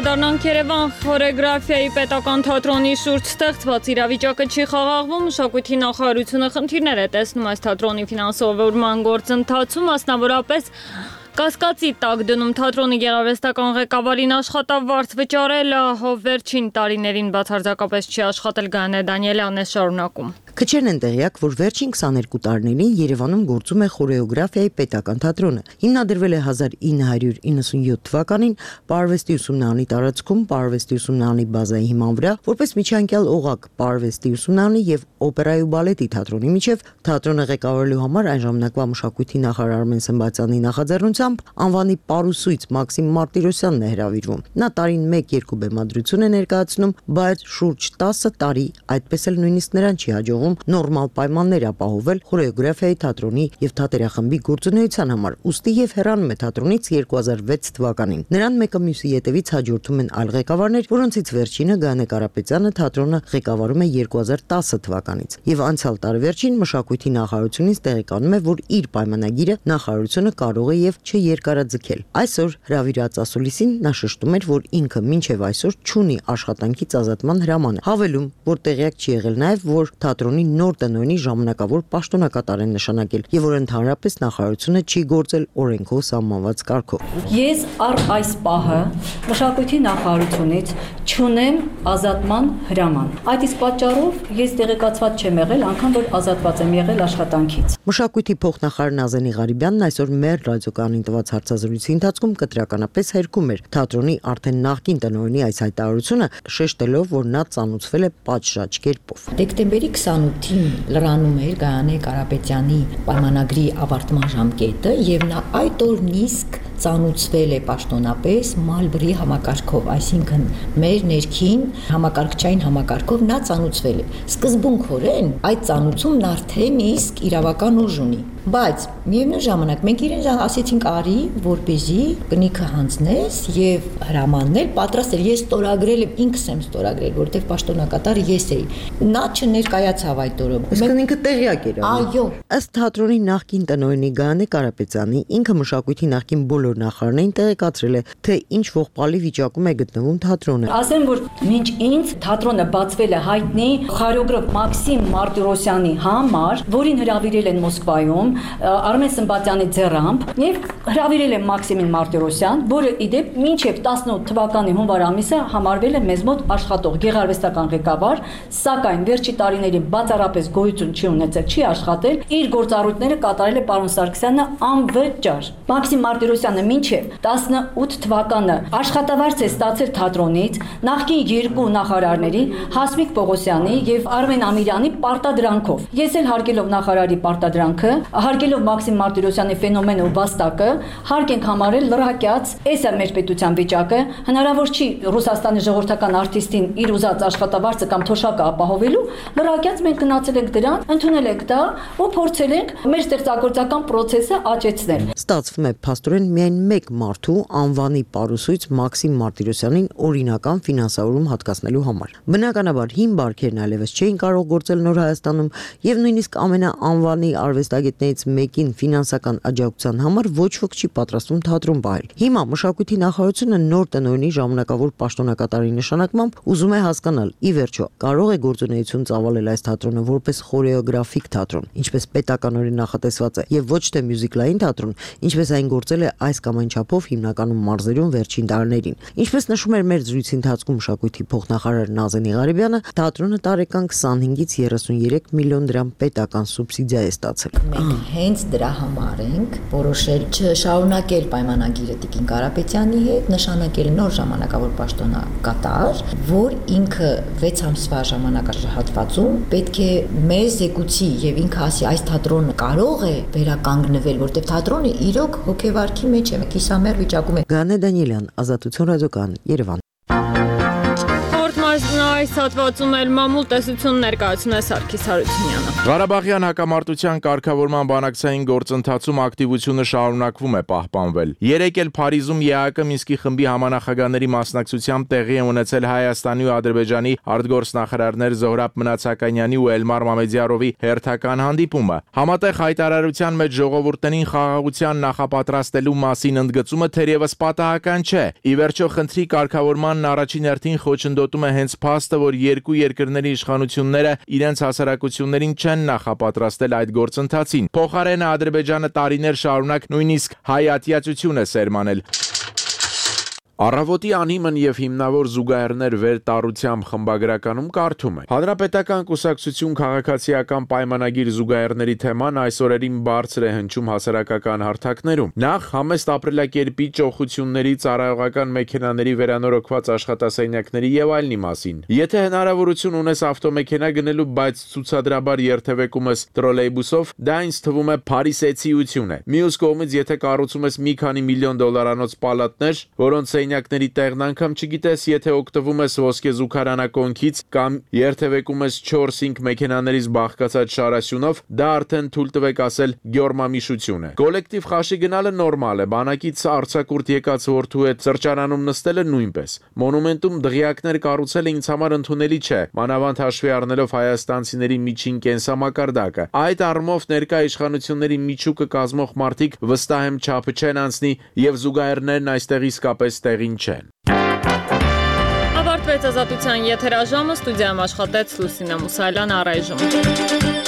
Վերադառնանք Երևան, խորեգրաֆիայի պետական թատրոնի շուրջ ստեղծված իրավիճակը չի խաղաղվում, մշակույթի նախարարությունը խնդիրներ է տեսնում այս թատրոնի ֆինանսավորման գործընթացում, մասնավորապես կասկածի տակ դնում թատրոնի գեղարվեստական ղեկավարին աշխատավարձ վճարելը, ով վերջին տարիներին բացարձակապես չի աշխատել, Գայանե Դանիելյանն է շարունակում։ Քչերն են տեղյակ, որ վերջին քսաներկու տարիներին Երևանում գործում է խորեոգրաֆիայի պետական թատրոնը։ Հիմնադրվել է հազար ինը հարյուր իննսունյոթ թվականին Պարվեստի ուսումնարանի տարածքում Պարվեստի ուսումնարանի բազայի հիման վրա, որպես միջանկյալ օղակ Պարվեստի ուսումնարանի եւ օպերայի ու բալետի թատրոնի միջև թատրոնը ղեկավարելու համար այն ժամանակվա մշակույթի նախարար Արմեն Սմբատյանի նախաձեռնությամբ անվանի պարուսույց Մաքսիմ Մարտիրոսյանն է հրավիրվում։ Նա տարին մեկ-երկու բեմադրություն է ներկայացնում, բայց շուրջ տասը տարի այդպես էլ նույնիսկ նրան չի հաջողվում նորմալ պայմաններ ապահովել խորեոգրաֆիայի թատրոնի եւ թատերախմբի գործունեության համար, ուստի եւ հեռանում է թատրոնից երկու հազար վեց թվականին։ Նրան մեկը մյուսի ետևից հաջորդում են այլ ղեկավարներ, որոնցից վերջինը Գայանե Կարապետյանը թատրոնը ղեկավարում է երկու հազար տասը թվականից։ Եվ անցյալ տարեվերջին մշակույթի նախարարությունից տեղեկանում է, որ իր պայմանագիրը նախարարությունը կարող է եւ չերկարաձգել։ Այսօր հրավիրած ասուլիսին նա շեշտում էր, որ ինքը մինչեւ այսօր չունի աշխատանքից ազատման հրաման, հավելում, որ տեղյակ չի եղել նաեւ, որ թատրոնի նոր տնօրենի ժամանակավոր պաշտոնակատար են նշանակել եւ որ ընդհանրապես նախարարությունը չի գործել օրենքով սահմանված կարգով։ Ես առ այս պահը մշակույթի նախարարությունից չունեմ ազատման հրաման։ Այդ իսկ պատճառով ես տեղեկացված չեմ եղել, անգամ որ ազատված եմ եղել աշխատանքից։ Մշակույթի փոխնախարար Նազենի Ղարիբյանն այսօր մեր ռադիոկայանին տված հարցազրույցի ընթացքում կտրականապես հերքում էր թատրոնի արդեն նախկին տնօրենի այս հայտարարությունը, շեշտելով, որ նա ծանուցվել է պատշաճ կերպով։ Դեկտեմբերի քսանութին լրանում էր Գայանե Կարապետյանի պայմանագրի ավարտման ժամկետը եւ նա այդ օրն իսկ ծանուցվել է պաշտոնապես Մալբրի համակարգով, այսինքն մեր ներքին համակարգչային համակարգով նա ծանուցվել է։ Սկզբունքորեն այդ ծանուցումն արդեն իսկ իրավական ուժ ունի, բայց միևնույն ժամանակ մենք իրեն ասեցինք արի, որպեսզի կնիքը հանձնես եւ հրամաննել պատրաստ էր, ես ստորագրել եմ, ինքս եմ ստորագրել, որտեղ պաշտոնակատար ես էի։ Նա չներկայացավ այդ օրը։ Այսինքն ինքը տեղյակ էր։ Այո։ Ըստ թատրոնի նախկին տնօրենի Գայանե Կարապետյանի, ինքը մշակույթի նախկին բոլոր նախարարներին տեղեկացրել է, թե ինչ ողբալի վիճակում է գտնվում թատրոնը։ Ասեմ, որ մինչ ինձ թատրոնը բացվել է հայտնի խորեոգրաֆ Մաքսիմ Մարտիրոսյանի համար, որին հրավիրել են Մոսկվայում Արմեն Սմբատյանի ձեռամբ եւ հրավիրել են Մաքսիմին Մարտիրոսյան, որը իդեպ մինչեւ տասնութ թվականի հունվար ամիսը համարվել է մեզ մոտ աշխատող գեղարվեստական ղեկավար, սակայն վերջի տարիներին բացառապես գոյություն չի ունեցել, չի աշխատել, իր գործառույթները կատարել է պարոն Սարգսյանը անվճար։ Մաքսիմ Մարտիրոսյանը մինչեւ տասնութ թվականը աշխատավարձ է ստացել թատրոնից նախկին երկու նախարարների Հասմիկ Պողոսյանի եւ Արմեն Ամիրյանի պարտադրանքով։ Ես էլ հարգելով նախարարի պարտադրանքը, հարգելով Մաքսիմ Մարտիրոսյանի ֆենոմենը ու վաստակը, հարկ ենք համարել լրակյաց, էս է մեր պետության վիճակը, հնարավոր չի Ռուսաստանի ժողովրդական արտիստին իր ուզած աշխատավարձը կամ թոշակը ապահովելու, լրակյաց մենք գնացել ենք դրան, ընդունել ենք դա ու փորձել ենք մեր ստեղծագործական process-ը աճեցնել։ Ստացվում է փաստորեն միայն մեկ մարդու անվանի պարուսույց Մաքսիմ Մարտիրոսյանին օրինական ֆինանսավորում հատկացնելու համար։ Բնականաբար հին բարքերն այլևս չէին կարող գործել Նոր Հայաստանում եւ նույնիսկ ամենաանվանի արվեստագետներից մեկին ֆինանսական աջակցության համար ոչ ոք չի պատրաստվում թատրոն պահել։ Հիմա մշակույթի նախարարությունը նոր տնօրենի ժամանակավոր պաշտոնակատարի նշանակմամբ ուզում է հասկանալ, ի վերջո, կարող է գործունեություն ծավալել այս թատրոնը որպես խորեոգրաֆիկ թատրոն, ինչպես պետականորեն նախատեսված է, եւ ոչ թե մյուզիկլային թատրոն, ինչպես այն գործել է այս կամայն չափով հիմնականում մարզերում վերջին տարիներին։ Ինչպես նշում էր մեր զրույցի ընթացքում մշակույթի փոխնախարար Նազենի Ղարիբյանը, թատրոնը տարեկան քսանհինգից երեսունյերեք միլիոն դրամ պետական սուբսիդիա է ստացել։ Մենք հենց դրա համար ենք որոշել չշարունակել պայմանագիրը Տիկին Կարապետյանի հետ, նշանակել նոր ժամանակավոր պաշտոնակատար, որ ինքը վեց ամսվա ժամանակահատվածում պետք է մեզ զեկուցի եւ ինքը ասի այս թատրոնը կարող է վերականգնվել, որտեղ թատրոնը իրոք հոգեվարքի մեջ է, կիսամեռ վիճակում է։ Գանե Դանիելյան, Ազատություն ռադիոկան, Երևան։ Այս հատվածում էլ մամուլ տեսություն ներկայացնում է Սարգիս Հարությունյանը։ Ղարաբաղյան հակամարտության կարգավորման բանակցային գործընթացում ակտիվությունը շարունակվում է պահպանվել։ Երեկ էլ Փարիզում ԵԱՀԿ Մինսկի խմբի համանախագահների մասնակցությամբ տեղի է ունեցել Հայաստանի ու Ադրբեջանի արտգործնախարարներ Զոհրաբ Մնացականյանի ու Էլմար Մամեդյարովի հերթական հանդիպումը։ Համատեղ հայտարարության մեջ ժողովուրդներին խաղաղության նախապատրաստելու մասին ընդգծումը թերևս պատահական չէ։ Ի վերջո խնդրի կարգավորմանն առաջին հերթին խոչընդոտում է հենց փաստը, որ երկու երկրների իշխանությունները իրենց հասարակություններին չեն նախապատրաստել այդ գործընթացին։ Փոխարենը Ադրբեջանը տարիներ շարունակ նույնիսկ հայ-ատյացություն է սերմանել։ Առավոտի անիմն եւ հիմնավոր զուգահեռներ վերտառությամբ խմբագրականում կարդում է. Հանրապետական կուսակցություն քաղաքացիական պայմանագիր զուգահեռների թեման այս օրերին բարձր է հնչում հասարակական հարթակներում։ Նախ համեստ ապրելակերպի ճոխությունների, ծառայողական մեքենաների վերանորոգված աշխատասենյակների եւ այլնի մասին։ Եթե հնարավորություն ունես ավտոմեքենա գնելու, բայց ցուցադրաբար երթևեկում ես տրոլեյբուսով, դա ինձ թվում է փարիսեցիություն է։ Մյուս կողմից, եթե կառուցում ես մի քանի միլիոն դոլարանոց պալատներ, որոնց ների տեղն անգամ չգիտես, եթե օգտվում ես ոսկե զուգարանակոնքից կամ երթևեկում ես չորս-հինգ մեքենաներից բաղկացած շարասյունով, դա արդեն թույլ տվեք ասել գյորմամիշություն է։ Կոլեկտիվ խաշի գնալը նորմալ է, բանակից արձակուրդ եկած որդու հետ սրճարանում նստելը նույնպես։ Մոնումենտում դղյակներ կառուցելը ինձ համար ընդունելի չէ, մանավանդ հաշվի առնելով հայաստանցիների միջին կենսամակարդակը։ Այդ առումով ներկա իշխանությունների միջուկը կազմող մարդիկ վստահ եմ չափը չեն անցնի եւ զուգահեռներն այստեղ իսկապես տեղին չեն։ Ավարտվեց Ազատության եթերաժամը, ստուդիայում աշխատեց Լուսինե Մուսալյան, առայժմ